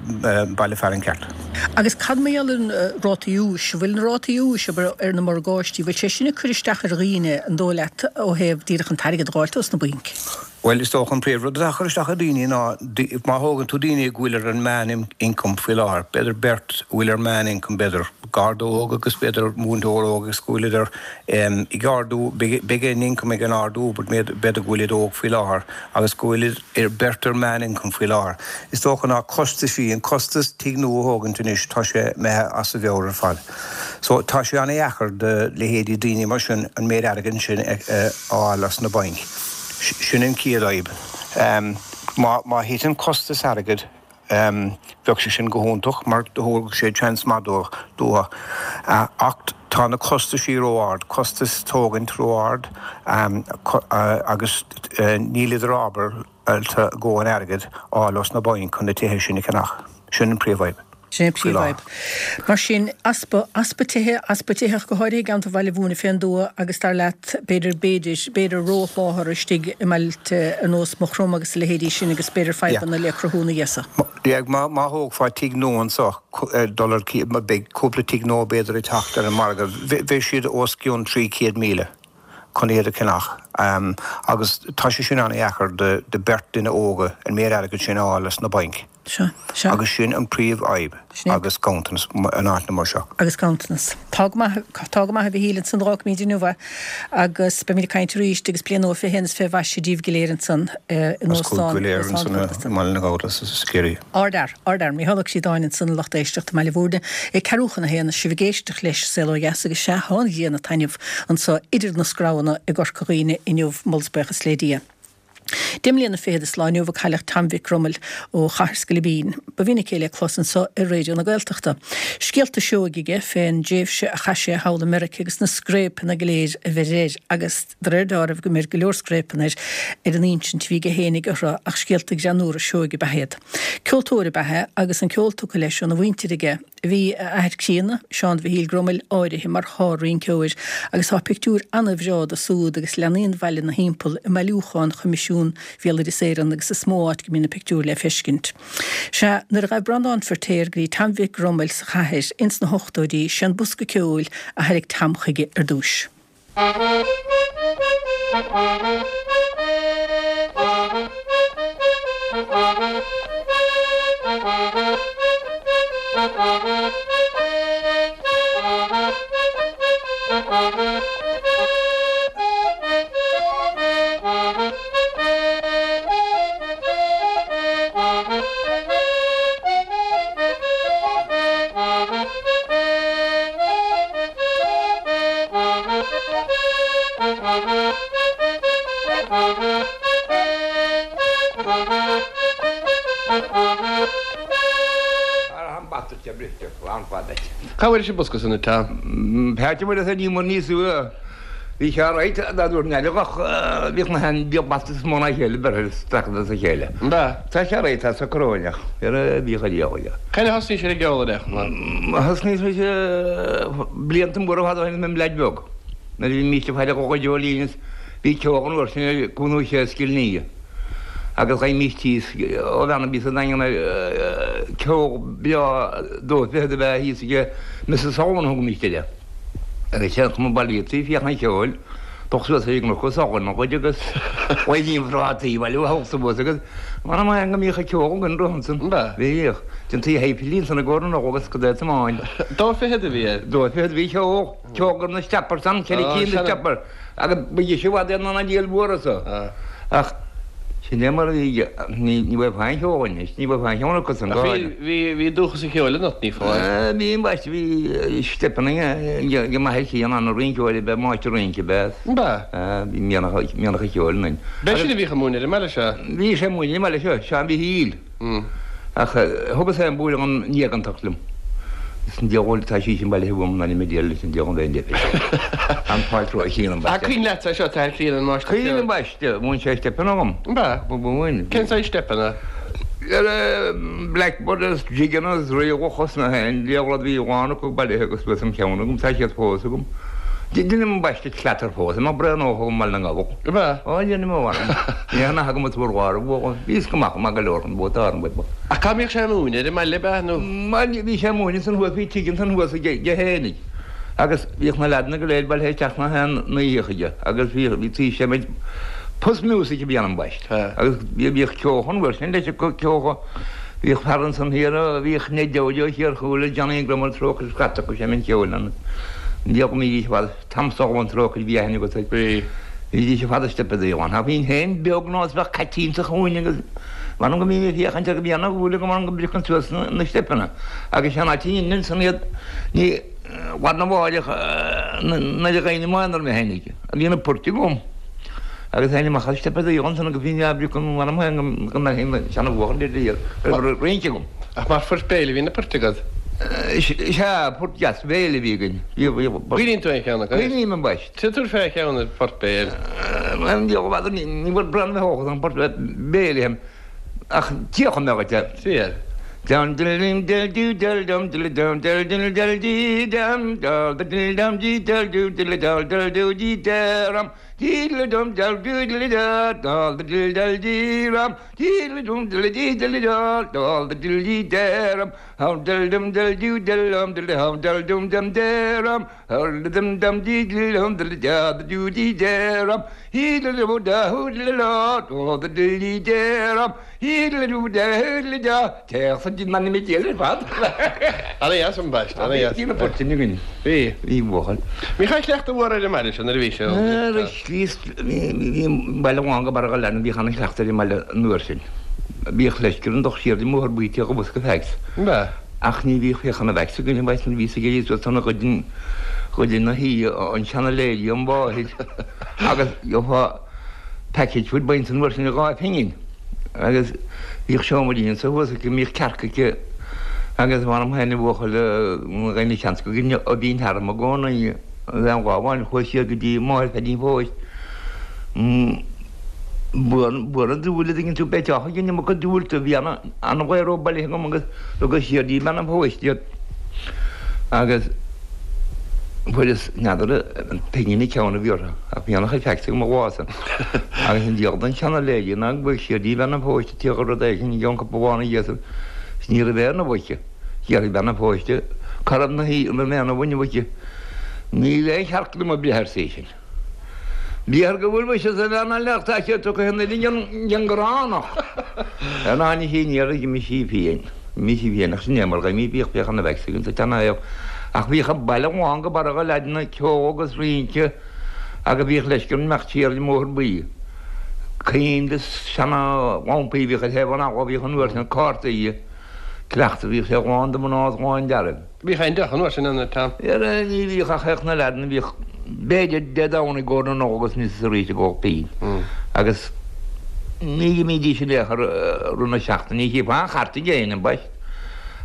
baile fearainn ceart. Agus cad mar gheall ar na rátaí úis? An bhfuil na rátaí úis, abair, ar na morgáistí, bhfuil sé sin ag cur isteach ar dhaoine, an dóigh leat, ó thaobh díreach an t-airgead a dh'fháilt ós na bainc? Bhuel, is dócha an príomh rud atá ag cur isteach ar daoine ná má thógann tú daoine go bhfuil ar an meán ioncam faoi láthair, b'fhéidir beirt a bhfuil ar meán ioncam, b'fhéidir garda óg agus b'fhéidir múinteoir óg agus go bhfuil idir ag ardú, beidh a n-ioncam ag an ardú but b'fhéidir go bhfuil iad óg faoi láthair agus go bhfuil iad beirt ar meán ioncam faoi láthair. Is dócha ná costaisí, an costas tigh nua a thógaint anois, tá sé imithe as a mheabhair ar fad. So tá sé an-dheacair do leithéidí daoine mar sin an méid airgid sin a fháil as na bainc. Sin an chéad fhadhb. Má thiteann costas airgid, bheadh sé sin go hiontach mar thabharfadh sé seans maith dóibh. Ach tá na costaisí ró-ard, costas tógaint ró-ard agus níleadar ábalta a ndóthain airgid a fháil ós na bainc chun na tithe sin a cheannach. Sin an príomhfhadhb. Sin an príomhfhadhb. Mar sin, easpa, easpa tithe, easpa tithe ach go háirithe i gceantar Bhaile Bhúirne fén dtuath agus dar leat, b'fhéidir, b'fhéidir, b'fhéidir rósholáthar istigh i mbailte ar nós Maigh Chromtha agus a leithéidí sin agus b'fhéidir fadhbanna le cruthú ina dhiaidh so. Yeah, má, má thógfá tigh nua anso, dul ar, beidh cúpla tigh nua b'fhéidir ag teacht ar an margadh, bheidh siad os cionn 300,000 chun iad a cheannach. Agus tá sé sin an-dheacair do, do beirt duine óga an méid airgid sin a fháil as na bainc. Sea, sea. Agus sin an príomh-fhadhb Sin é. agus ganntanas in áiteanna mar seo. Agus ganntanas. Tá go maith, tá go maith a Mhichíl ansan d'fhágfaimid inniu é agus beimid ag caint arís agus bliain nua 21 is 20 mhaise díbh go léir ansan in Agus Óstán, go léir Óstán ansan Chorcaí. i mBaile na nGall agus i Ciarraí. Ardfhear, ardfhear. Micheál Ó Críodáin ansan a lucht éisteachta i mBaile Bhúirne. Ag ceathrú chun a haon sibh ag éisteacht leis Saol Ó Dheas agus sea, tá an ghrian ag taitneamh anso idir na screamhanna i gCorca Dhuibhne inniu, moladh is buíochas le Dia. Deich mbliana fichead is lá inniu a cailleadh Tom Mhic Gromail ó Chathair Scilibín. Ba mhinic é le clos anso ar Raidió na Gaeltachta. Scéalta sióg aige fén dtréimhse a chaith sé thall i Meirice agus na scréipeanna go léir a bheir air agus de réir deáraimh go mbeir go leor scréipeanna air ar an insint a bhí aige fhéinig orthu ach scéalta greannúra sióige ab ea iad. Ceoltóir ab ea é agus an ceol tugtha leis óna mhuintir aige. Bhí a athair críonna, Seán Mhichíl Grumail, áirithe mar shár-rinceoir agus tá pictiúr ana-bhreá de súd agus leanaí an bhaile 'na thimpeall i mbailiúchán Choimisiún Bhéaloideas Éireann agus is mó áit go mbíonn na pictiúir le feiscint. Sea, nuair a ghaibh Breandán Feirtéar go dtí Tom Mhic Grumail sa chathair ins na hochtóidí, sé an bosca ceoil a thairrig Tom chuige ar dtúis. Cá bhfuair an bosca san a Tom? Peait a bhfuil fhios ag ní mar níos Bhí sé right dá dúirt Neil ach bhíodh na haon bhíodh bata is mó ná a chéile beirthe isteach as a chéile. An ea? Tá sé right tá sa coróineach ar a bhíodh a riamh aige. Cén a thosnaigh sé ag ceol ar aon Thosnaigh mise blianta móra fada ó shin i mbleaid bheag nuair a bhí mise ag faire dhá dreoilín is bhí ceol an uair sin ar Cúnú Sé Scill Nia agus gheibhimís thíos ó bhean a bhí sa Daingean ar ceol breá dó fichead a bheith thíos aige Mrs Sullivan a thugaimís uirthi. Agus sé an chuma bailíochtaí féach an cheoil, dul suas ar an gcnoc os ard an gcuid agus bhain an phrátaí baile ó thabhairt suas agus mar a go mbíodh an ceol againn roimh ansan. Bhíodh. Déantaí shéipéilín san i gcomhair na Nollag agus go dtí tiomáin. Dó fichead a bhí air. Dó fichead a bhí ceol, ceol go raibh na steppers ann, ceithre cinn de steppers. Agus ba dheise i bhfad é ná an diabhal mhór so. Ach sin é mar a bhí, ní bheadh aon cheol anois, ní bheadh aon cheann acu san go háirithe. Bhí, bhí dúchas an cheoil ionat, ní foláir. Bhí, ambaiste, bhí steipeanna ag m'athair críonna, ana rinceoir ab ea, máistir rince ab ea. Ab ea? Bhí mianach, mianach an cheoil ionainn. B'é sin a bhíodh ag múineadh ar an mbaile seo? Bhí sé ag múineadh ar an mbaile seo, Seán Mhichíl. Ach thugas é an bualadh an éigeantach liom. Is an diabhal tá sí sin bailithe uaim ná ní mé diabhal leis an diabhal an bheith An fáilte a chíonn ambaiste. Ach cuimhin leat é seo, t'athair críonna an máistir ceoil. Cuimhin ambaiste, mhúin sé steipeanna dhom. Ab ea? Mhúin. Cén saghas steipeanna? Blackbird is jigeanna is riabhach is na haon diabhal rud bhí amháin acu bailithe agus bhí an ceann agam, tá siad fós agam. Deinim ambaiste clatter fós, má breathnófá i mBaile na nGall. Ab ea? Ó, deinim ó mh'anam. Ní hea nach agam a tabhair dhá raibh Bhíos go maith, maith go leor chun vótáil an bhfuil. Ach cá mbíodh sé ag múineadh? Ar an mbaile ab ea nó? Bhuel, bhí sé ag múineadh ansan thuas, bhí tigh ansan thuas aige fhéinig agus bhíodh na leaideanna go léir bailithe isteach na haon oíche chuige agus bhí, bhí taobh sé muid, post music a bhí ann ambaist agus bhíodh ceol an uair sin leis an ceol, bhíodh fear ansan thiar a bhíodh Ned Dowdy ó Thír Chúil, Johnny Grummel, Trócaire Scairt acu sé an ceol ann. Bhíodh go mbídís i bhfad. Tom Sullivan trócaire bhí aithne agat air. Bhí. Bhídís ar fad ag steipeadaí ann. Ach bhínn féin beag nó is bheadh caitín sa chúinne agus m'anam go mbínn ag féachaint air go mbíonn a dhúil agam ann go mbriocann suas na steipeanna. Agus sé an áit a ndeineann san iad ní lá arna mháireach nuair a gheibhinn i m'aonar mé féinig. Bhí na poirt agam. Agus théinn amach ag steipeadaí ansan agus bhínn á bpriocadh m'anam féin go mbeinn féin seana-bhuachaill ar dhíol rince agam. Ach mar phoirt béil a bhí na poirt agat? Sea, port deas béil a bhí againn. Cuimhníonn tú aon cheann acu? Cuimhním ambaist. Tabhair fé cheann ar phort béil. An diabhal b'fheadar, ní bhfuil braon bheith óg an port béil aon ach tíocha mé dhuit é. Fíor. Dum diddle dum doo dum dum diddle dum dum diddle dum dee dum dum diddle dum dee dum doo diddle dum dum doo dee dum diddle dum dum doo diddle dum dum diddle dum dee dum diddle dum diddle dee diddle dum dum diddle dee dum hum diddle dum diddle doo diddle dum diddle hum diddle dum dum dum hum dum dum dee diddle hum diddle da doo dee dum hee diddle doo da hoo diddle da doo diddle dee dum Ana dheas ambaist, ana dheas. Bhí na poirt sin againn. Bhí. Bhí buachaill. Bhíodh aon chleachtadh mhór ar an mbaile seo nuair a bhí sé óg. Bhí baile amháin go Barra Leanna, bhíodh ana chleachtadh ar an mbaile an uair sin. Bhíodh leisce orainn dul siar den mbóthar bíteach go bosca fags. Ach ní bhíodh féachann a bheadh againn an bhfaigheadh bhí sa gcéad suas an ghoid ghoid na hoíche an seana léirí an mháthair agus gheofá package food baint an uair sin 2 phingin agus bhíodh seomairín anso thuas aici, mbíodh cearca aici agus m'anam féin a bhuachaill dhaoine seans go gcoinne a bhínn tharam i gcónaí agus aon lá amháin chuas siar go dtí máthair Pheaidín Phóit buan an dúil a dtuigeann tú beidh teach ag an iomarca dúilte bhí ana-ghaoth bailithe agam agus thugas siar dtí bean an phóist iad. Agus fuaireas, n'fheadar an pingin an ceann a bhí orthu, ach bhí ana-chuid faighte agam an lá san. Agus an diabhal den seana-lady ná go bhfuil siar dtí bean an phóiste tíocht rud éigin i gceann cúpla lá ina dhiaidh san, is ní raibh aon ubh aici. D'fhiafraigh bean an phóiste cá raibh na an raibh aon ubh inniu aici. Níl aon chearc liom ag breith arsa í sin. B'fhéidir go bhfuil mise sa bhean eile ach tá sé tugtha in uile den ghránach. Ar ná ní hí ní raibh imigh sí féin. Imigh sí féin ach sin é mar ghaimí bhíodh bhíodh ana bheag sa tseana-shaol ach bhíodh an baile lán go barra de leaideanna ceol agus rince agus bhíodh leisce orm imeacht siar ar an mBóthar Buí. Cinn de seana lampaí a bhíodh ar thaobh an fhalla bhíodh an uair sin cártaí cleachta bhíodh sé lán de mhná is lán d'fhearaibh. Bhíodh aon deoch an uair sin ann, a Tom? Ara, ní bhíodh ach théadh na leaideanna, bhíodh b'fhéidir Dé Domhnaigh i gcomhair na Nollag agus níos arís ag ól pín. Agus ní imídís in aon chor rith na seachtaine, ní chífeá aon chairt ag éinne ambaist.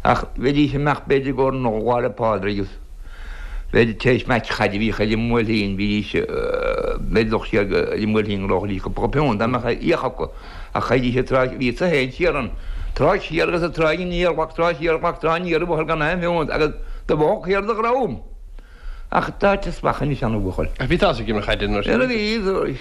Ach bheidís ag imeacht b'fhéidir i gcomhair na Nollag Lá 'le Pádraig agus b'fhéidir tar éis match chaide a bhíodh ar an mBuailtín, bhídís b'fhéidir dul siar ar an mBuailtín go raibh cúpla piúnt dá mbeadh a fhiach acu. Ach chaithfidís an tráigh, bhíodsa féin siar an tráigh siar agus an tráigh aniar, ghlac tráigh siar, ghlac tráigh aniar, a bhuachaill gan aon phiúnt agus do bhóthar thiar do dhrom. Ach d'áiteas mhaith anois ann a bhuachaill. Ach bhí tusa ag imirt chaide an uair sin. Ara bhí,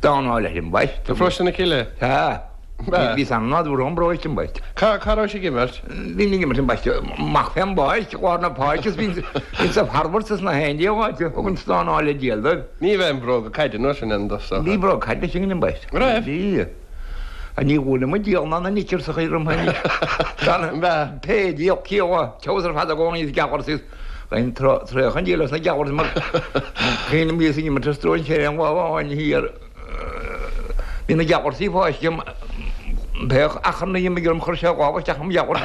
dánáil leis ambaist. Do Pharóiste na Cille? Sea. Bhí san nádúr ón bparóiste ambaist. Cá raibh ag imirt? Bhí ag imirt ambaist amach fén bpáirc, lár na páirce is bhí sa bhfarbairt is na haon dia áite, thug an stánáil le díol dóibh. Ní raibh aon bhróga caide an uair sin ann do. Bhí bróga caide againn ambaist. Raibh? Bhí. Ach ní bhuaileadh muid diabhal ná na knickers a chuir orm féin. Gan pé diabhal ciall teos ar fad i gcónaí is gealbhar is an traoch an diabhal as na gealbhar mar chéin bhíos ag imirt ar stróinséir aon lá amháin thiar. Bhí na gealbharsaí fáiscthe agam pé achrann a d'imigh orm chuir sé a lámh isteach im ghealbhars.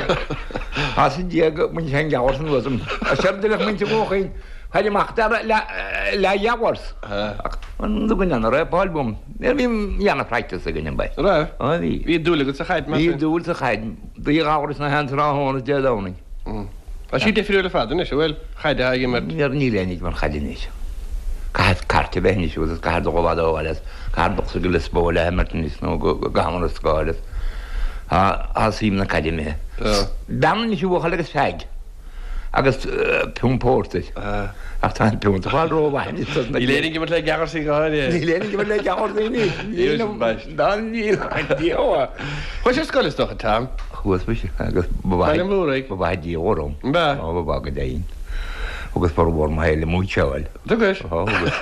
As an dia go mbain sé an gealbhars anuas orm. Séard a bheadh muintir Dhúnchaoin Fair amach dar le ghealbhars. Ach an dtugann an raibh Paul bum. Bhí ana-phractice againn ambaist. Raibh? Á bhí. Bhí dúil agat sa chaid mar sin? Bhí dúil sa chaid. Bhí ghabhras na haon tráthnóna Dé Domhnaigh. Tá sí difriúil ar fad anois, an bhfuil? Chaid atá ag imirt. Níl éinne ag imirt chaid anois. Caithfidh cairt a bheith anois agus caithfidh dul i bhfad ó bhaile is caithfidh dul go Lios Póil le himirt anois nó go Murascaill is tá suim na caide imithe. Bean anois a bhuachaill agus feaig. agus piún pórtair. Ach tá an piúnt ag fáil rómhaith anois dos na. Níl éinne ag imirt le geamharsaí go háirithe. Níl éinne ag imirt le geamharsaí anois. Níl dá níl an diabhal. Chuais ar scoil is dócha, Tom? Chuas muise agus ba mhaith. Baile an Mhúraigh. Ba mhaith diabhal orm. Ba. Ó ba mhaith go deimhin. Thugas formhór mo shaoil ag múinteáil. Thugais? Ó thugas.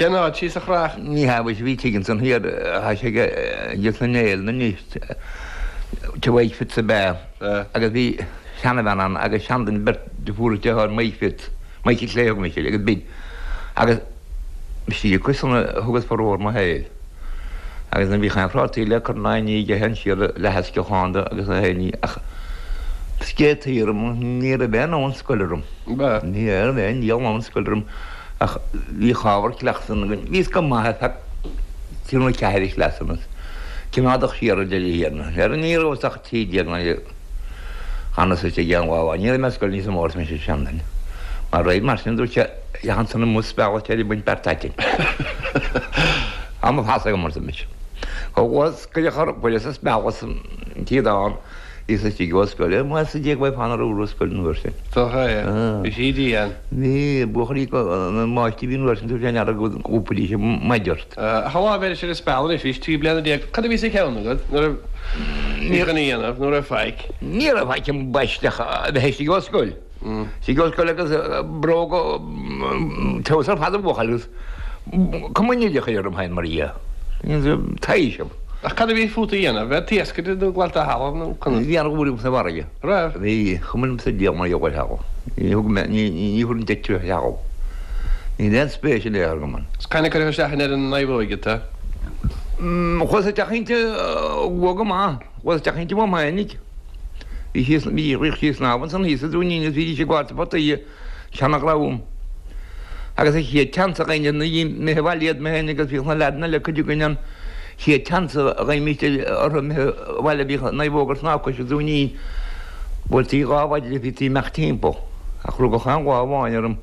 Cén áit síos sa Chreach? Ní hea mhuise bhí tigh ansan thiar, tá sé ag sna Néill anois, Tigh Mhaidhc Fitz ab ea agus bhí seanabhean ann agus seanduine beirt deirfiúr is deartháir Mike Fitz, Mikey Clay a thugaimis air, agus b'in agus istigh acu san a thugas formhór mo shaoil. Agus ní bhíodh aon phrátaí le cur in aghaidh ní aige siar leath sciocháin de agus a ní ach scéataí orm, ní raibh aon fhonn scoile orm. Ní raibh aon diabhal fonn scoile orm ach bhíodh ábhar cleachtaidh againn. Bhíos go maith ar feadh trí nó ceathair chleasanna. Coimeádach siar ar deireadh thiar. Ní rabhas ach 13 nuair a D'fhanas istigh aon lá amháin. Ní raibh mé ar scoil níos mó arsa mise seanduine. Mar raibh, mar sin dúirt sé, Theach ansan amuigh sa bhealach ar baint beart aitinn. Tá mo phas agam arsa mise. Chomh luath is cuireadh chur buille sa speal as an tíodán bhíos istigh ó scoil. Más a d'éag mé fan ar úr scoil an uair sin. Dócha é. Bhí sí dian. Bhí buachaillí na máistrí bhí an uair sin dúirt sé n'fheadar go gcúpaidís an maide ort. Ach an lá a bheiris ar an speal anois, bhís 13 bliana, cad a bhí sa cheann agat nuair a bhí chun a dhéanamh, nó raibh faic? Ní raibh faic ambaist ach a bheith istigh ó scoil. Istigh ó scoil agus bróga teos ar fad a bhuachaill agus cuma an oideachais orm féin mar dhea. Taoiseach. Ach cad a bhí fút a dhéanamh? Bheith ag iascaire nó ag glanadh thalamh nó conas? Bhí an-dhúil agam sa bhfarraige. Raibh? Bhí, cuma liom sa diabhal mar gheall ar thalamh. Ní thug mé, ní, ní thabharfainn deich ar thalamh. Níl aon spéis in aon chor agam ann. Is cathain a cuireadh isteach in ar an naomhóig tú? Chuas isteach inti luath go maith. Chuas isteach inti uaim fhéinig. Bhí sí, bhí, bhíodh sí ag snámh ansan thíos sa Dúinín is bhídís ag gabháil potaí. Seana-dhream. Agus an chéad tseans a gheibhinn na imithe abhaile iad mé féin agus bhíodh na leaideanna eile cuid againn an chéad tseans a gheibhimís orthu imithe abhaile bhíodh an naomhóg ag snámh cois an Dúinín. Bhuailtí dhá mhaide di bhítí imeacht timpeall. Ach rugadh aon lá amháin orm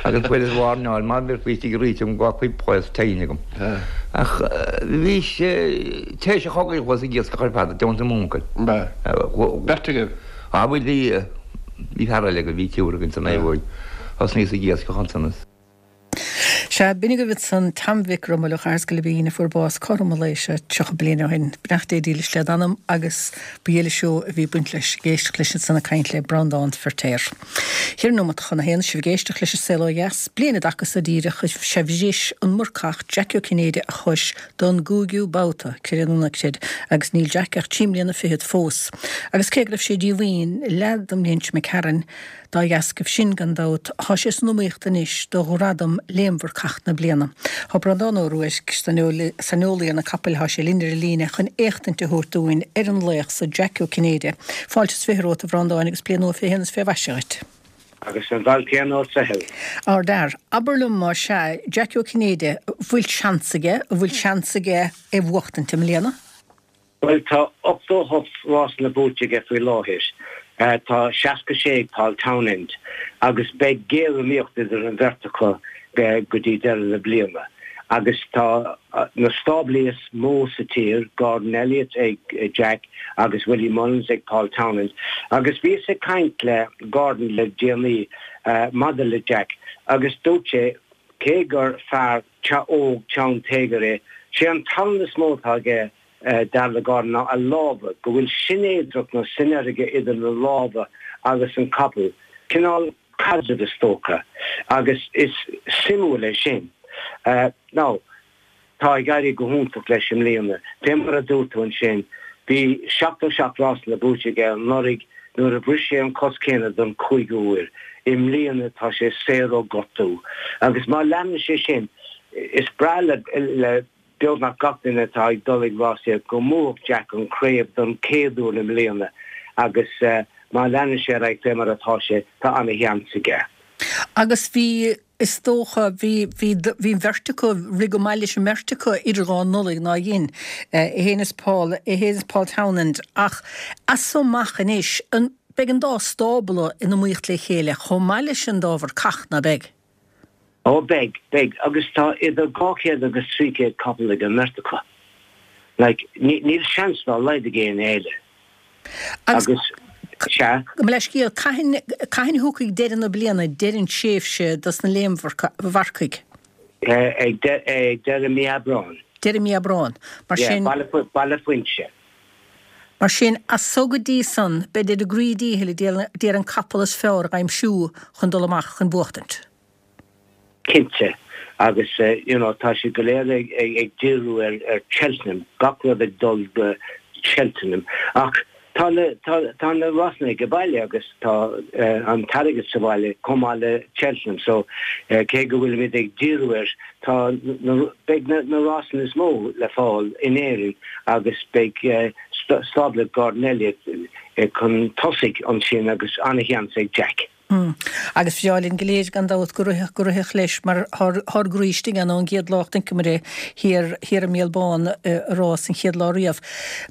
agus fuaireas wairneáil má bheifí istigh arís agam go bhfágfaí pléasc tine agam. Ach bhí sé tar éis an chogaidh chuas ag iascach ar fad i dteannta m'uncail. Beirt agaibh? Á bhuel bhí. Bhí fear eile againn, bhí triúr againn san naomhóig. Thosnaíos ag iascach ansan is. Sea, b'in agaibh ansan Tom Mhic Rumail ó Chathair Sceilibín a fuair bás cothrom an lae seo 30 bliain ó shin. Beannacht Dé dílis led anam agus ba dhílis seó a bhí ag baint leis, ag éisteacht leis ansan ag caint le Breandán Feirtéar. Cheithre nóimeat chun a haon, sibh ag éisteacht leis an Saol Ó Dheas. Bliain i dtaca so díreach, sea bhris an Murcach Jackie Ó Cinnéide a chois don gcúigiú babhta, creid é nó ná creid, agus níl Jack ach trí mbliana fichead fós. Agus cé go raibh sé díomhaoin leath don mbliain seo imigh tharainn, Dá dheascaibh sin, gan dabht, thá sé san iomaíocht anois do ghradam Léim-Mhurcach na Bliana. Thá Breandán Ó Ruairc, saineolaí ar na capaill, thá sé linn ar an líne chun éachtaint a thabhairt dúinn ar an laoch so Jack Ó Cinnéide. Fáilte is 20 romhat, a Bhreandáin, agus bliain nua 21 is 20 mhaise dhuit. Agus an bail céanna ort a Helen. Ardfhear. Abair liom, más ea, Jack Ó Cinnéide, bhfuil seans aige, an bhfuil seans aige é bhuachtaint i mbliana? Bhuel, tá 88 rásanna buaite aige faoi láthair. Tá 66 ag Paul Townend agus beidh géariomaíocht idir an bheirt acu go dtí deireadh na bliana. Agus tá na stáblaí is mó sa tír, Gordon Elliott ag Jack agus Willie Mullins ag Paul Townend. Agus bhíos ag caint le Gordon le déanaí maidir le Jack agus dúirt sé cé gur fear óg teann téagair é, sé an tallann is mó atá aige dar le Gordon, ná a lámha, go bhfuil sinéadracht nó sineirge idir na lámha agus an capall, cineál caidrimh is dócha, agus is suimiúil é sin. Now, tá ag éirí go hiontach leis i mbliana. Fé mar a dúirt tú ansin, bhí 77 rásanna buaite aige anuraidh nuair a bhris sé an cos céanna don chúigiú huair. I mbliana tá sé saor ó gortú agus má leanann sé sin, is breá le beagnach gach duine atá ag dul ag rásaíocht go mbuafadh Jack an chraobh don chéad uair i mbliana agus má leanann sé ar aghaidh fé mar atá sé, tá ana-sheans aige. Agus bhí, is dócha, bhí, bhí, bhí an bheirt acu, rith go maith leis an mbeirt acu idir dhá Nollaig ná dhein, é féin is Paul, é féin is Paul Townend ach as so amach anois, an, beidh an dá stábla in iomaíocht le chéile chomh maith leis an dá mhurcach, ná beidh? Ó beidh, beidh, agus tá idir 200 agus 300 capall ag an mbeirt acu. Like, níl seans dá laghad ag éinne eile. Agus, sea. Gabh mo leithscéal, cathain, cathain a thiocfaidh deireadh na bliana, deireadh an tréimhse dos na léim-mharcaigh? Ag deireadh mí Aibreáin. Deireadh mí Aibreáin. Mar sin. Yeah, Baile Phuinse. Mar sin, as so go dtí san, beid ar a gcroí díchill ag iarraidh an capall is fearr a dh'aimsiú chun dul amach chun buachtaint. Cinnte. Agus you know tá siad go léir ag díriú ar Cheltenham, gach rud ag dul go Cheltenham. Ach tá na tá na rásanna ag baile agus tá an t-airgead sa bhaile chomh maith le Cheltenham. So cé go bhfuilimid ag díriú air, Tá na, beidh na rásanna is mó le fáil in Éirinn agus beidh stábla Gordon Elliott chun tosaigh ansin agus an-sheans ag Jack. Agus bhreá linn go léir gan dabht go rithfeadh, go rithfeadh leis mar thár gcroí istigh ann ón gcéad lá a chonaiceamar é thiar, thiar i mBéal Bán i rás an chéad lá riamh.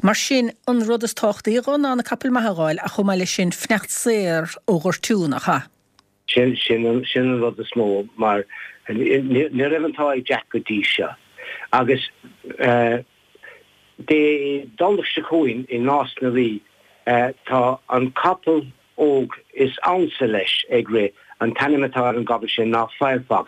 Mar sin, an rud is tábhachtaí dhó ná na capaill maithe a dh'fháil ach chomh maith leis sin fanacht saor ó ghortú, nach ea? Sin, sin an, sin an rud is mó mar ní raibh an t-ádh ag Jack go dtí seo. Agus eh Dé Domhnaigh seo chugainn i Nás na Rí eh tá an capall óg is ansa leis ag rith, an t-ainm atá ar an gcapall sin ná Firefox.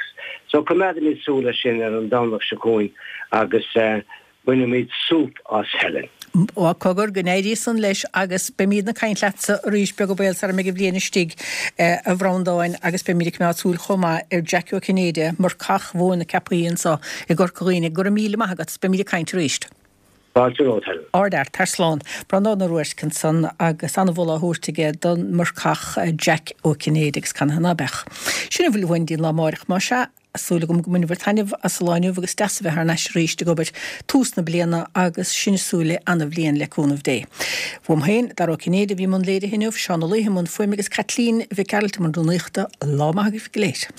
So coimeádfaimid súil air sin ar an Domhnach seo chugainn agus eh Bainfimid súp as, Helen. Ó, cogar, go n-éirí san leis agus beimídne ag caint leatsa arís beag an baol sara mbeidh an bhliain istigh, a Bhreandáin, agus beimíd ag coimeád súil chomh maith ar Jackie Ó Cinnéide, marcach Mhóin na Ceapaí anso i gCorca Dhuibhne. Go raibh míle maith agat, beimíd ag caint arís. Fáilte romhat, Helen. Ardfhear, tar slán. Breandán Ó Ruairc ansan agus an-mholadh á thabhairt aige don mharcach Jack Ó Cinnéide agus canathaobh ná beadh. Sin a bhfuil uainn dtí'n lá amáireach, más ea. Súil agam go mbainfear taitneamh as an lá inniu agus deas a bheith thar n-ais arís ag obair tús na bliana agus sinn ag súil le ana-bhliain le cúnamh Dé. Uaim féin, Dara Ó Cinnéide a bhí i mbun léirithe inniu, Seán Ó Laoithe i mbun fuaime agus Caitlín Mhic Gearailt i mbun rúnaíochta. Lá maith agaibh go léir.